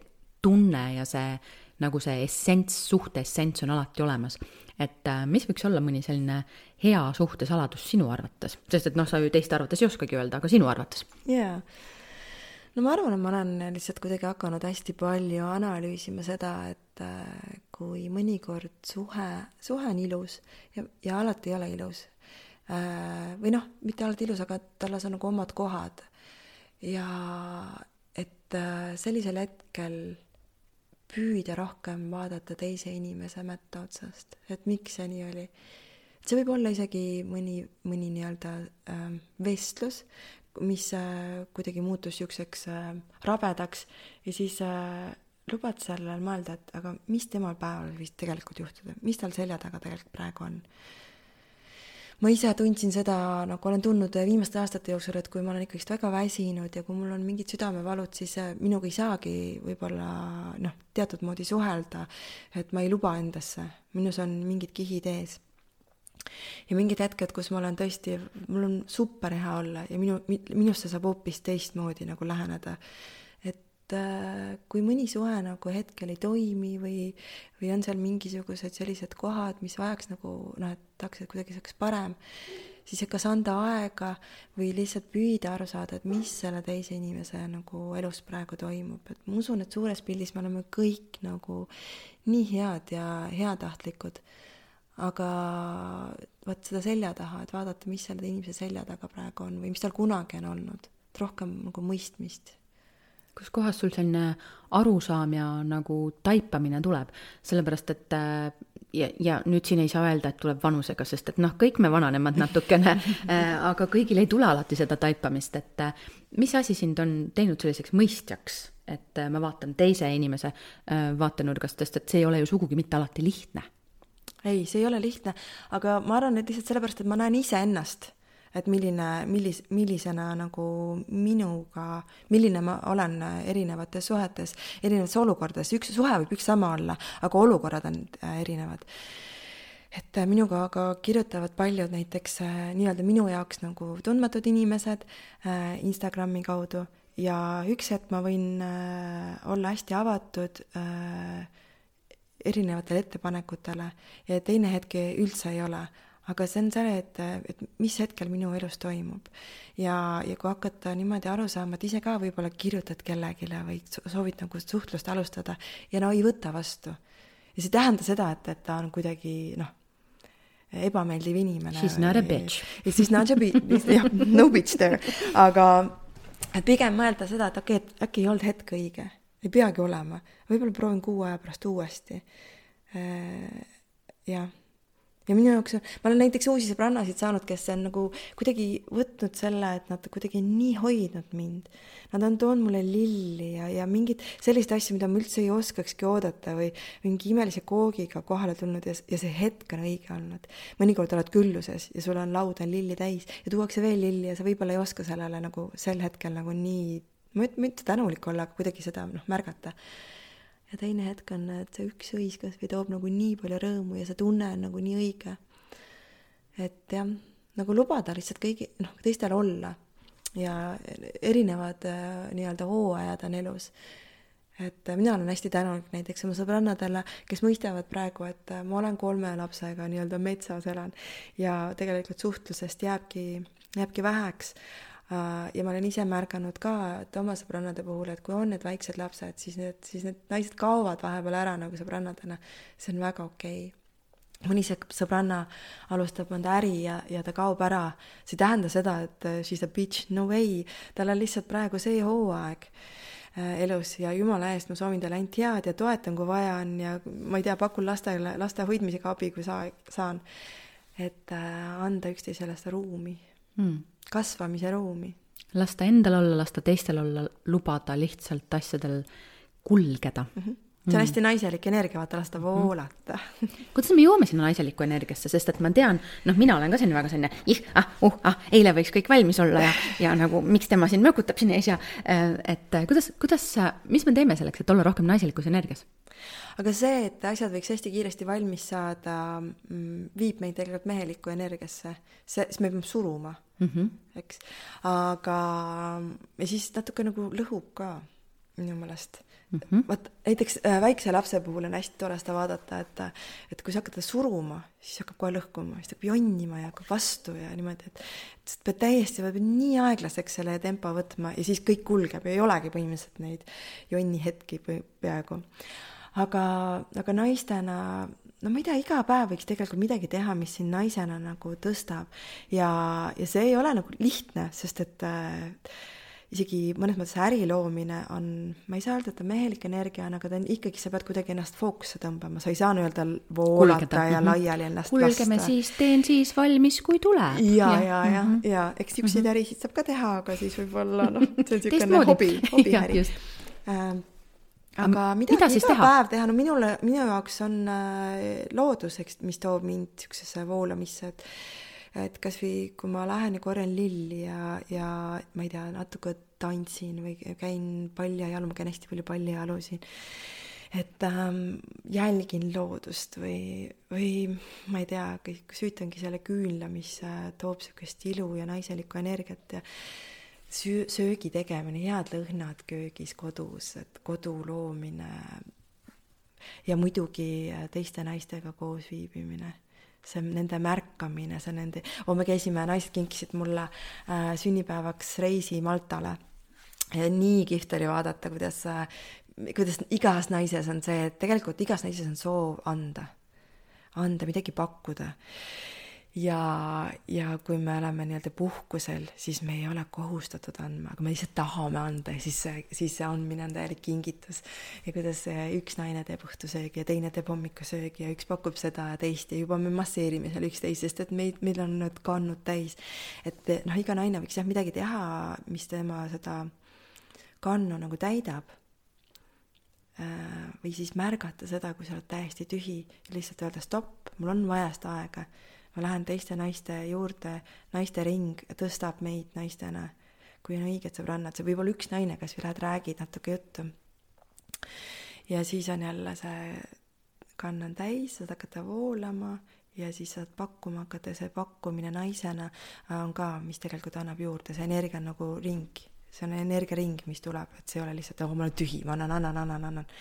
tunne ja see, nagu see essents, suhte essents on alati olemas. Et mis võiks olla mõni selline hea suhte saladus sinu arvates? Sest et noh, sa ju teiste arvates ei oskagi öelda, aga sinu arvates. Jaa. No ma arvan, et ma olen lihtsalt kuidagi hakanud hästi palju analüüsima seda, et kui mõnikord suhe, suhe on ilus ja, ja alati ei ole ilus. Või noh, mitte alati ilus, aga tallas on nagu omad kohad. Ja et et sellisel hetkel püüda rohkem vaadata teise inimese mätta otsast, et miks see nii oli. See võib olla isegi mõni, mõni nii-öelda äh, vestlus, mis äh, kuidagi muutus siukseks äh, rabedaks ja siis äh, lubad sellel mõelda, et aga mis temal päeval võis tegelikult juhtuda, mis tal selja taga tegelikult praegu on. Ma ise tundsin seda, nagu olen tundnud viimaste aastate jooksul, et kui ma olen ikkagi väga väsinud ja kui mul on mingid südamevalud, siis minuga ei saagi võib-olla noh, teatud moodi suhelda, et ma ei luba endasse. Minus on mingid kihid ees. Ja mingid hetked, kus ma olen tõesti, mul on super hea olla ja minu, minusse saab hoopis teistmoodi nagu läheneda. Kui mõni suhe nagu hetkel ei toimi või, või on seal mingisugused sellised kohad, mis vajaks nagu, noh, et tahaks, et kuidagi saaks parem, siis kas anda aega või lihtsalt püüda aru saada, et mis selle teise inimese nagu elus praegu toimub. Et ma usun, et suures pildis me oleme kõik nagu nii head ja heatahtlikud, aga vaat seda selja taha, et vaadata, mis selle inimese selja taga praegu on või mis tal kunagi on olnud, et rohkem nagu mõistmist. Kus kohas sul selline arusaam ja nagu taipamine tuleb, sellepärast et ja, ja nüüd siin ei saa öelda, et tuleb vanusega, sest et noh, kõik me vananemad natukene, aga kõigil ei tule alati seda taipamist, et mis asi sind on teinud selliseks mõistjaks, et ma vaatan teise inimese vaatenurgast, sest et see ei ole ju sugugi mitte alati lihtne. Ei, see ei ole lihtne, aga ma arvan, et lihtsalt sellepärast, et ma näen ise ennast, et milline, millis, millisena nagu minuga, milline ma olen erinevates suhetes, erinevates olukordades. Üks suhe võib üks sama olla, aga olukorrad on erinevad. Et minuga aga kirjutavad paljud näiteks nii-öelda minu jaoks nagu tundmatud inimesed Instagrami kaudu ja üks hetk ma võin olla hästi avatud erinevatele ettepanekutele ja teine hetk üldse ei ole. Aga see on see, et, et mis hetkel minu elus toimub. Ja, ja kui hakata niimoodi aru saama, et ise ka võib-olla kirjutad kellegile või soovid nagu suhtlust alustada ja no ei võta vastu. Ja see tähenda seda, et, et ta on kuidagi noh, ebameeldiv inimene. She's not a bitch. She's not a bitch. No bitch there. Aga et pigem mõelda seda, et okei, et äkki ei olnud hetk õige. Ei peagi olema. Võib-olla proovin kuu aja pärast uuesti. Ja Ja minu jaoks, ma olen näiteks uusi sõbrannasid saanud, kes on nagu kuidagi võtnud selle, et nad kuidagi nii hoidnud mind. Nad on toonud mulle lilli ja, ja mingid sellist asju, mida ma üldse ei oskakski oodata või mingi imelise koogiga kohale tulnud ja, ja see hetk on õige olnud. Mõnikord oled külluses ja sul on laud on lilli täis ja tuuakse veel lilli ja sa võib-olla ei oska sellele nagu sel hetkel nagu nii, ma mitte tänulik olla, aga kuidagi seda noh, märgata. Ja teine hetk on, et see üks õiskas või toob nagu nii palju rõõmu ja see tunne on nagu nii õige. Et jah, nagu lubada lihtsalt kõigi, noh, teistel olla ja erinevad nii-öelda hooajad on elus. Et mina olen hästi tänulik näiteks oma sõbrannadele, kes mõistavad praegu, et ma olen kolme lapsega nii-öelda metsas elan ja tegelikult suhtlusest jääbki, jääbki väheks. Ja ma olen ise märganud ka, et oma sõbrannade puhul, et kui on need väiksed lapsed, siis need, siis need naised kaovad vahepeal ära nagu sõbrannadena. See on väga okei. Mõni sõbranna alustab mõnda äri ja, ja ta kaob ära. See tähenda seda, et she's a bitch, no way. Tal on lihtsalt praegu see hooaeg elus ja jumala eest ma soovin talle ainult head ja toetan, kui vaja on ja ma ei tea, pakun lastele, laste hoidmisega abi, kui saa, saan. Et anda üksteisele seda ruumi. Mm. Kasvamise ruumi. Lasta endal olla, lasta teistel olla, lubada lihtsalt asjadel kulgeda. Mm-hmm. See on hästi naiselik energia, vaata lasta voolata. Kuidas me joome sinna naiseliku energiasse, sest et ma tean, noh, mina olen ka selline väga selline, ih, ah, uh, ah, eile võiks kõik valmis olla ja, ja nagu, miks tema siin mökutab siin ees ja, et kuidas, kuidas, mis me teeme selleks, et olla rohkem naiselikus energias? Aga see, et asjad võiks hästi kiiresti valmis saada, viib meid tegelikult mehelikku energiasse. See, siis me peame suruma, mm-hmm. eks. Aga ja siis natuke nagu lõhub ka minu mõelest. Mm-hmm. Vaat, näiteks väikse lapse puhul on hästi tore seda vaadata, et, et kui sa hakkad suruma, siis hakkab kohe lõhkuma, siis hakkab jonnima ja hakkab vastu ja niimoodi, et, et pead täiesti pead nii aeglaseks selle tempo võtma ja siis kõik kulgeb ja ei olegi põhimõtteliselt neid jonni hetki peaaegu. Aga, aga naistena, no ma ei tea, iga päev võiks tegelikult midagi teha, mis siin naisena nagu tõstab ja, ja see ei ole nagu lihtne, sest et isegi mõnes mõttes äri loomine on, ma ei saa öelda, et ta mehelik energia on, aga ta on ikkagi, sa pead kuidagi ennast fookusse tõmbama, sa ei saa nii-öelda voolata Kulgeda. ja laiali ennast Kulgeme lasta. Kulgeme siis, teen siis valmis, kui tuleb. Ja, ja, ja, mm -hmm. ja, eks siukseid mm -hmm. ärisid saab ka teha, aga siis võib-olla, noh, see on siukene hobi, hobi äri. Äh, aga midagi mida iga teha? päev teha, no minule, minu jaoks on äh, loodus, eks, mis toob mind siuksesse voolamisse, et et kas või kui ma lähen ja korjan lilli ja, ja ma ei tea, natuke tantsin või käin paljajalu, ma käin hästi palju paljajalu siin, et ähm, jälgin loodust või, või ma ei tea, süütangi selle küünla, mis äh, toob sükest ilu ja naiselikku energiat ja söö, söögi tegemine, head lõhnad köögis kodus, et kodu loomine ja muidugi teiste naistega koos viibimine. See nende märkamine, see nende, oh, me käisime, naised kinkisid mulle äh, sünnipäevaks reisi Maltale. Ja nii kihvt oli vaadata, kuidas, äh, kuidas igas naises on see, et tegelikult igas naises on soov anda, anda, midagi pakkuda. Ja, ja kui me oleme nii-öelda puhkusel, siis me ei ole kohustatud andma, aga me lihtsalt tahame anda ja siis see, siis see andmine on täielik kingitus. Ja kuidas üks naine teeb õhtusöögi ja teine teeb hommikusöögi ja üks pakub seda ja teist ja juba me masseerime seal üksteist, sest et meid, meil on need kannud täis. Et noh, iga naine võiks jah midagi teha, mis tema seda kannu nagu täidab. Või siis märgata seda, kui sa oled täiesti tühi ja lihtsalt öelda stopp, mul on vaja seda aega. Ma lähen teiste naiste juurde, naiste ring tõstab meid naistena, kui on õiged sõbrannad. See võib olla üks naine, kas või lähed räägid natuke juttu. Ja siis on jälle see kannan täis, saad hakata voolama ja siis saad pakkuma hakata. See pakkumine naisena on ka, mis tegelikult annab juurde. See energia on nagu ring. See on energiaring, mis tuleb, et see ei ole lihtsalt, oh, ma olen tühi, ma annan, annan, annan, annan.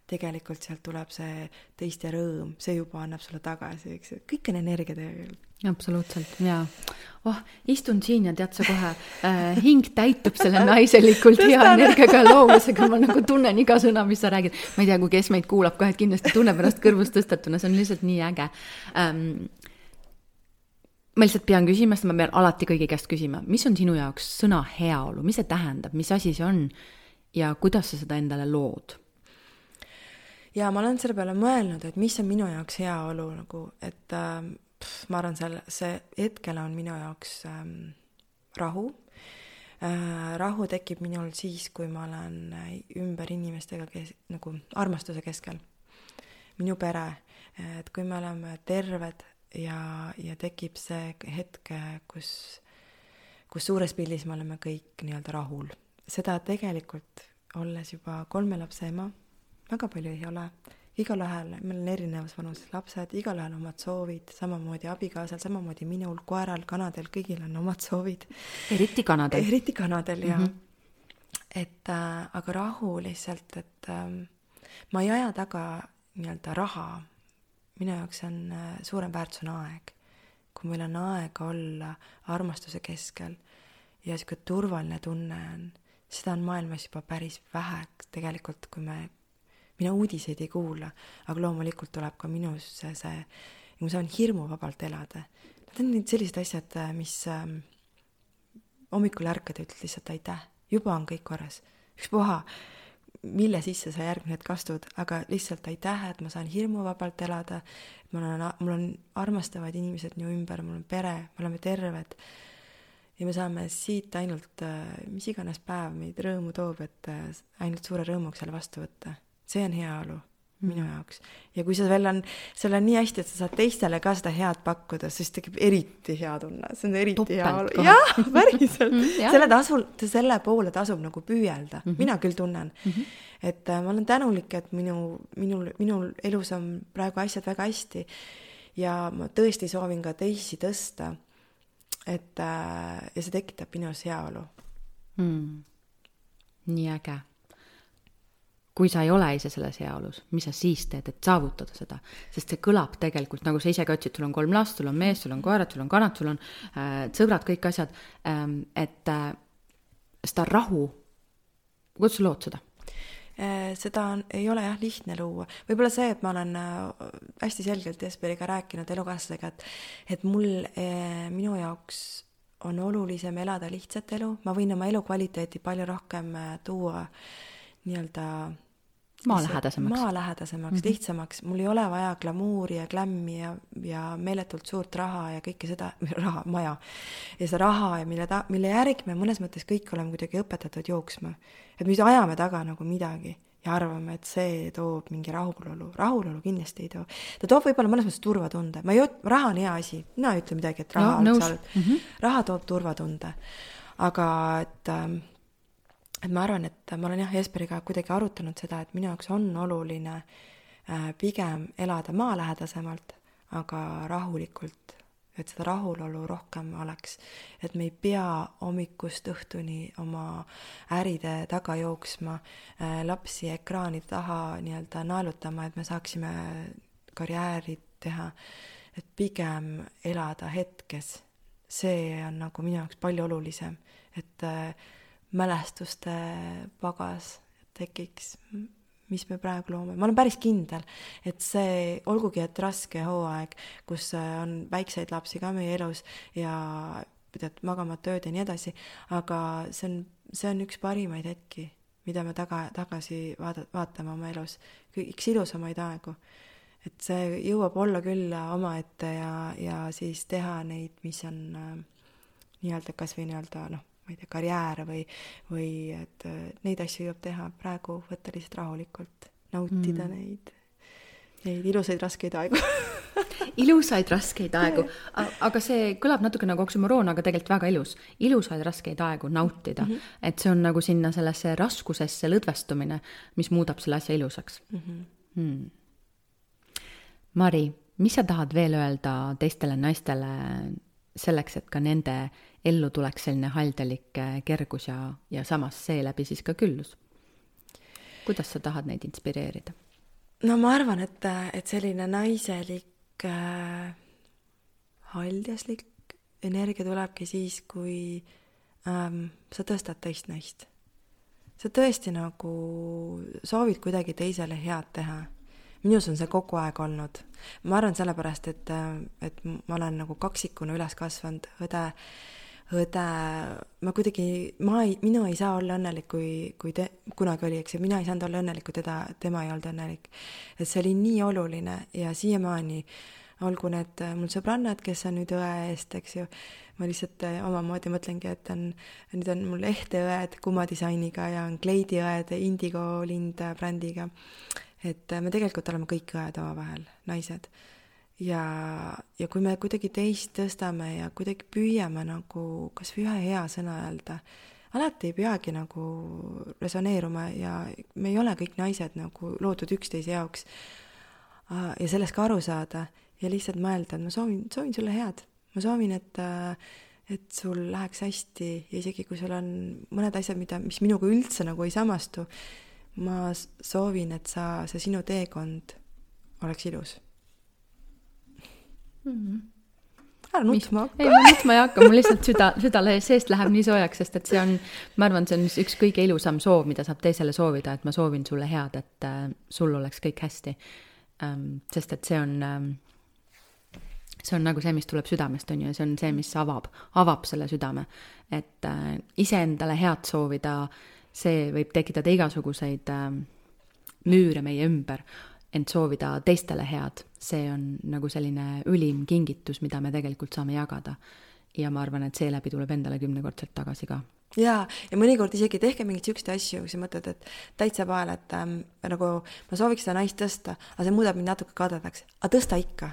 Tegelikult sealt tuleb see teiste rõõm, see juba annab sulle tagasi, eks. Kõik on energia tegelikult. Absoluutselt, jaa. Oh, istun siin ja tead sa kohe, äh, hing täitub selle naiselikult hea energiaga loomusega, ma nagu tunnen iga sõna, mis sa räägid. Ma ei tea, kui kes meid kuulab ka, et kindlasti tunneb ennast kõrvust tõstetuna, see on lihtsalt nii äge. Ähm, ma lihtsalt pean küsima, sest ma pean alati kõigi käest küsima, mis on sinu jaoks sõna heaolu, mis see tähendab, mis asi see on ja kuidas sa seda endale lood? Ja ma olen selle peale mõelnud, et mis on minu jaoks heaolu, nagu, et äh, pff, ma arvan, see, see hetkel on minu jaoks ähm, rahu. Äh, rahu tekib minul siis, kui ma olen ümber inimestega, kes, nagu armastuse keskel. Minu pere, et kui me oleme terved ja, ja tekib see hetk, kus, kus suures pildis me oleme kõik nii-öelda rahul. Seda tegelikult, olles juba kolme lapse ema, väga palju ei ole. Igal ühel, meil on erinevas vanuses lapsed, igal ühel omad soovid, samamoodi abikaasal, samamoodi minul, koeral, kanadel, kõigil on omad soovid. Eriti kanadel. Eriti kanadel, jah. Mm-hmm. Et, äh, aga rahu lihtsalt, et äh, ma ei aja taga nii-öelda raha. Minu jaoks on äh, suurem väärtus on aeg. Kui meil on aeg olla armastuse keskel ja siuke turvaline tunne on, seda on maailmas juba päris vähe tegelikult, kui me mina uudiseid ei kuula, aga loomulikult tuleb ka minus see, see ja ma saan hirmu vabalt elada. Need on sellised asjad, mis ähm, hommikul ärkad ja ütled lihtsalt aitäh, juba on kõik korras. Üks puha, mille sisse sa järgmine hetk astud, aga lihtsalt aitäh, et ma saan hirmu vabalt elada, mul on, mul on armastavad inimesed nii ümber, mul on pere, me oleme terved ja me saame siit ainult, mis iganes päev meid rõõmu toob, et ainult suure rõõmuks selle vastu võtta. See on heaolu minu jaoks. Ja kui sa veel on, seal on nii hästi, et sa saad teistele ka seda head pakkuda, siis tekib eriti hea tunne. See on eriti heaolu. Jah, päriselt. selle, tasul, selle poole tasub nagu püüelda. Mm-hmm. Mina küll tunnen. Mm-hmm. Et äh, ma olen tänulik, et minu, minul, minul elus on praegu asjad väga hästi. Ja ma tõesti soovin ka teisi tõsta. Et, äh, ja see tekitab minus heaolu. Mm. Nii äge. Kui sa ei ole ise selles heaolus, mis sa siis teed, et saavutada seda? Sest see kõlab tegelikult, nagu sa ise ka ütsid, sul on kolm last, sul on mees, sul on koerad, sul on kanad, sul on äh, sõbrad, kõik asjad, ähm, et äh, seda rahu, kuidas sa lood seda? Seda on, ei ole jah lihtne luua. Võib-olla see, et ma olen hästi selgelt Jesperiga rääkinud elukaaslasega, et, et mul, eh, minu jaoks on olulisem elada lihtsat elu, ma võin oma elukvaliteeti palju rohkem tuua nii-öelda maalähedasemaks, maalähedasemaks mm-hmm. lihtsamaks, mul ei ole vaja glamuuri ja glämmi ja, ja meeletult suurt raha ja kõike seda, raha, maja ja seda raha ja mille, ta, mille järgi me mõnes mõttes kõik oleme kuidagi õpetatud jooksma, et me ajame taga nagu midagi ja arvame, et see toob mingi rahulolu. Rahulolu kindlasti ei too. Ta toob võib-olla mõnes mõttes turvatunde. Ma ei, raha on hea asi. Mina ei ütle midagi, et raha, no, on, mm-hmm. raha toob turvatunde. Aga et, et ma arvan, et ma olen jah Jesperiga kuidagi arutanud seda, et minu jaoks on oluline pigem elada maalähedasemalt, aga rahulikult, et seda rahulolu rohkem oleks, et me ei pea hommikust õhtuni oma äride taga jooksma, lapsi ekraanide taha nii-öelda naelutama, et me saaksime karjääri teha, et pigem elada hetkes. See on nagu minu jaoks palju olulisem, et mälestuste pagas tekiks, mis me praegu loome. Ma olen päris kindel, et see, olgugi et raske hooaeg, kus on väikseid lapsi ka meie elus ja pidad magama tööd ja nii edasi, aga see on, see on üks parimaid hetki, mida me taga, tagasi vaada, vaatame oma elus. Üks ilusamaid aegu. Et see jõuab olla küll omaette ja, ja siis teha neid, mis on äh, nii-öelda kas või nii-öelda, noh, ma ei tea, karjääre või, või et neid asju jõuab teha praegu, võtta lihtsalt rahulikult, nautida mm. neid, neid ilusaid raskeid aegu. Ilusaid raskeid aegu, aga see kõlab natuke nagu oksümoroon, aga tegelikult väga ilus. Ilusaid raskeid aegu nautida, mm-hmm. et see on nagu sinna sellesse raskusesse lõdvestumine, mis muudab selle asja ilusaks. Mm-hmm. Hmm. Mari, mis sa tahad veel öelda teistele naistele selleks, et ka nende ellu tuleks selline haldelik kergus ja, ja samas seeläbi siis ka küllus? Kuidas sa tahad neid inspireerida? No ma arvan, et, et selline naiselik äh, haldjaslik energia tulebki siis, kui ähm, sa tõstad teist naist. Sa tõesti nagu soovid kuidagi teisele head teha. Minus on see kogu aeg olnud. Ma arvan sellepärast, et, et ma olen nagu kaksikuna üles kasvanud, õde, õde, ma kuidagi, ma ei, minu ei saa olla õnnelik, kui, kui te, kunagi oli, eks, ja mina ei saanud olla õnnelik, kui teda, tema ei olnud õnnelik. Et see oli nii oluline ja siiamaani, olgu need mul sõbrannad, kes on nüüd õe eest, eks ju, ma lihtsalt omamoodi mõtlengi, et on, nüüd on mul ehteõed kumadisainiga ja on kleidiõed Indigo Lind brändiga. Et me tegelikult oleme kõik õed omavahel, naised. Ja, ja kui me kuidagi teist tõstame ja kuidagi püüame nagu kas või ühe hea sõna öelda, alati ei peagi nagu resoneeruma ja me ei ole kõik naised nagu loodud üksteise jaoks ja sellest ka aru saada ja lihtsalt mõelda, et ma soovin, soovin sulle head. Ma soovin, et, et sul läheks hästi ja isegi kui sul on mõned asjad, mida, mis minuga üldse nagu ei samastu, ma soovin, et sa, see sinu teekond oleks ilus. Mm-hmm. Ära nutma hakka. Ei, ma nutma ei hakka, mul lihtsalt süda, süda seest läheb nii soojaks, sest et see on, ma arvan, see on üks kõige ilusam soov, mida saab teisele soovida, et ma soovin sulle head, et äh, sul oleks kõik hästi. Ähm, sest et see on, ähm, see on nagu see, mis tuleb südamest, on ju, see on see, mis avab, avab selle südame. Et äh, iseendale head soovida, see võib tekitada igasuguseid äh, müüre meie ümber, ent soovida teistele head, see on nagu selline ülim kingitus, mida me tegelikult saame jagada. Ja ma arvan, et seeläbi tuleb endale kümnekordselt tagasi ka. Jaa, ja mõnikord isegi tehke mingit sükste asju, kui sa mõtled, et täitsa pael, et ähm, nagu ma sooviks seda naist tõsta, aga see muudab mind natuke kadedaks. Aga tõsta ikka.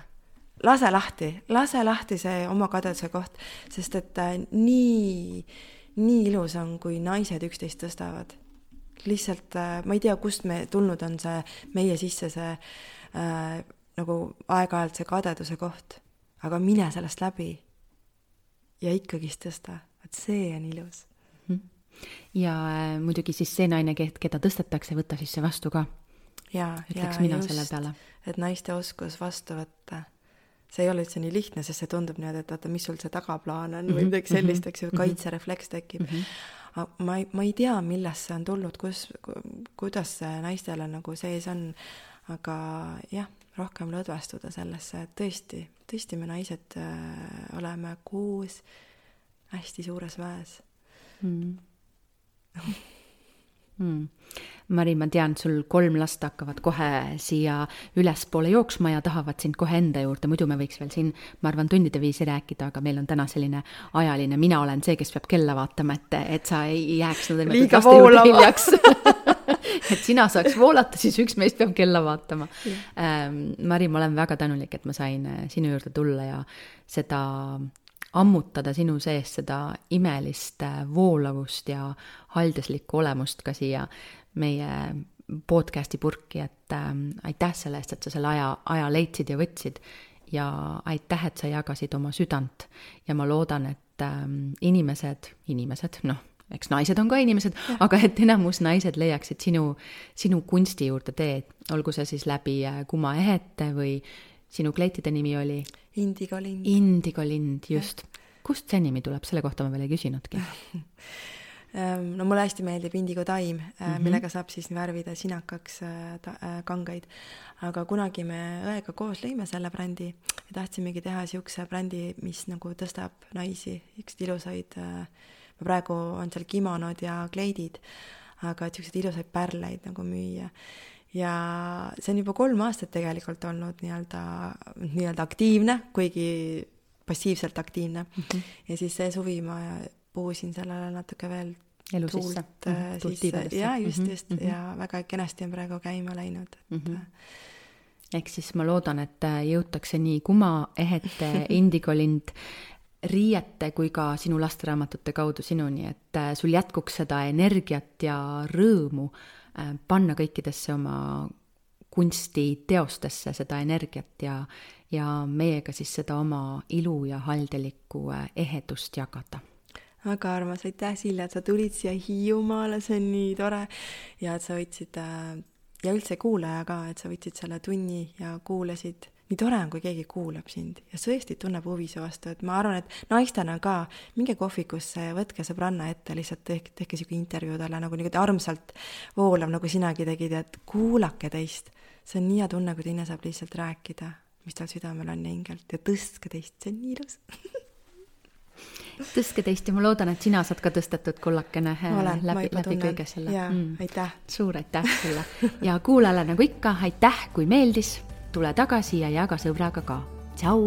Lase lahti, lase lahti see oma kadeduse koht, sest et äh, nii... nii ilus on, kui naised üksteist tõstavad. Lihtsalt, ma ei tea, kust me tulnud on see meie sisse see äh, nagu aeg-ajalt see kadeduse koht, aga mine sellest läbi ja ikkagist tõsta, et see on ilus. Ja äh, muidugi siis see naine, keda tõstetakse, võtta siis see vastu ka. Ja, ütleks ja mina just, selle peale. Et naiste oskus vastu võtta. See ei ole üldse nii lihtne, sest see tundub nii, et vaata, mis sul see tagaplaan on või midagi sellist, eks ju, kaitserefleks tekib. Ma ei, ma ei tea, millest see on tulnud, kus, kuidas see naistele nagu sees on, aga jah, rohkem lõdvestuda sellesse, et tõesti, tõesti me naised äh, oleme koos hästi suures väes mm. Mm. Mari, ma tean, sul kolm last hakkavad kohe siia ülespoole jooksma ja tahavad sind kohe enda juurde, muidu me võiks veel siin, ma arvan, tundide viisi rääkida, aga meil on täna selline ajaline, mina olen see, kes peab kella vaatama, et, et sa ei jääks no, liiga voolama et sina saaks voolata, siis üks meist peab kella vaatama. Ähm, Mari, ma olen väga tänulik, et ma sain sinu juurde tulla ja seda ammutada sinu sees seda imelist voolavust ja haldeslikku olemust ka siia meie podcasti purki, et ähm, aitäh selle eest, et sa selle aja, aja leidsid ja võtsid ja aitäh, et sa jagasid oma südant ja ma loodan, et ähm, inimesed, inimesed, noh, eks naised on ka inimesed, ja. Aga et enamus naised leiaksid sinu, sinu kunsti juurde teed, olgu see siis läbi Kuma ehete või sinu kleitide nimi oli? Indigo lind. Indigo lind, just. Ja. Kust see nimi tuleb? Selle kohta ma veel ei küsinudki. No mulle hästi meeldib indigo taim, mm-hmm. millega saab siis värvida sinakaks ta, kangaid. Aga kunagi me õega koos lõime selle brändi ja tahtsimegi teha siukse brändi, mis nagu tõstab naisi, üks ilusaid, praegu on seal kimonod ja kleidid, aga siuksed ilusaid pärleid nagu müüa. Ja see on juba kolm aastat tegelikult olnud nii-öelda, nii-öelda aktiivne, kuigi passiivselt aktiivne. Mm-hmm. Ja siis see suvi ma puhusin sellele natuke veel elu tuult sisse. sisse. Ja just, just. Mm-hmm. Ja väga kenasti on praegu käima läinud. Et... Mm-hmm. Ehk siis ma loodan, et jõutakse nii Kuma ehete, Indigo lind, riiete kui ka sinu lasteraamatute kaudu sinuni, et sul jätkuks seda energiat ja rõõmu panna kõikidesse oma kunstiteostesse seda energiat ja, ja meiega siis seda oma ilu ja haldelikku ehedust jagada. Väga armas, aitäh Silja, et sa tulid siia Hiiumaale, see on nii tore ja et sa võtsid ja üldse kuulaja ka, et sa võtsid selle tunni ja kuulasid. Nii tore on, kui keegi kuulab sind ja tõesti tunneb huvi su vastu, et ma arvan, et naistena ka minge kohvikusse ja võtke sõbranna ette, lihtsalt tehke, tehke siuke intervjuu talle nagu nii armsalt voolav, nagu sinagi tegid, et kuulake teist. See on nii hea tunne, kui teine saab lihtsalt rääkida, mis tal südamel on ja hingelt ja tõstke teist, see on nii ilus. Tõstke teist ja ma loodan, et sina saad ka tõstetud kullakene olen, läbi, läbi kõige selle. Ja, mm. aitäh. Suur aitäh sulle. Ja kuulale nagu ikka, aitäh, kui meeldis. Tule tagasi ja jaga sõbraga ka. Tšau!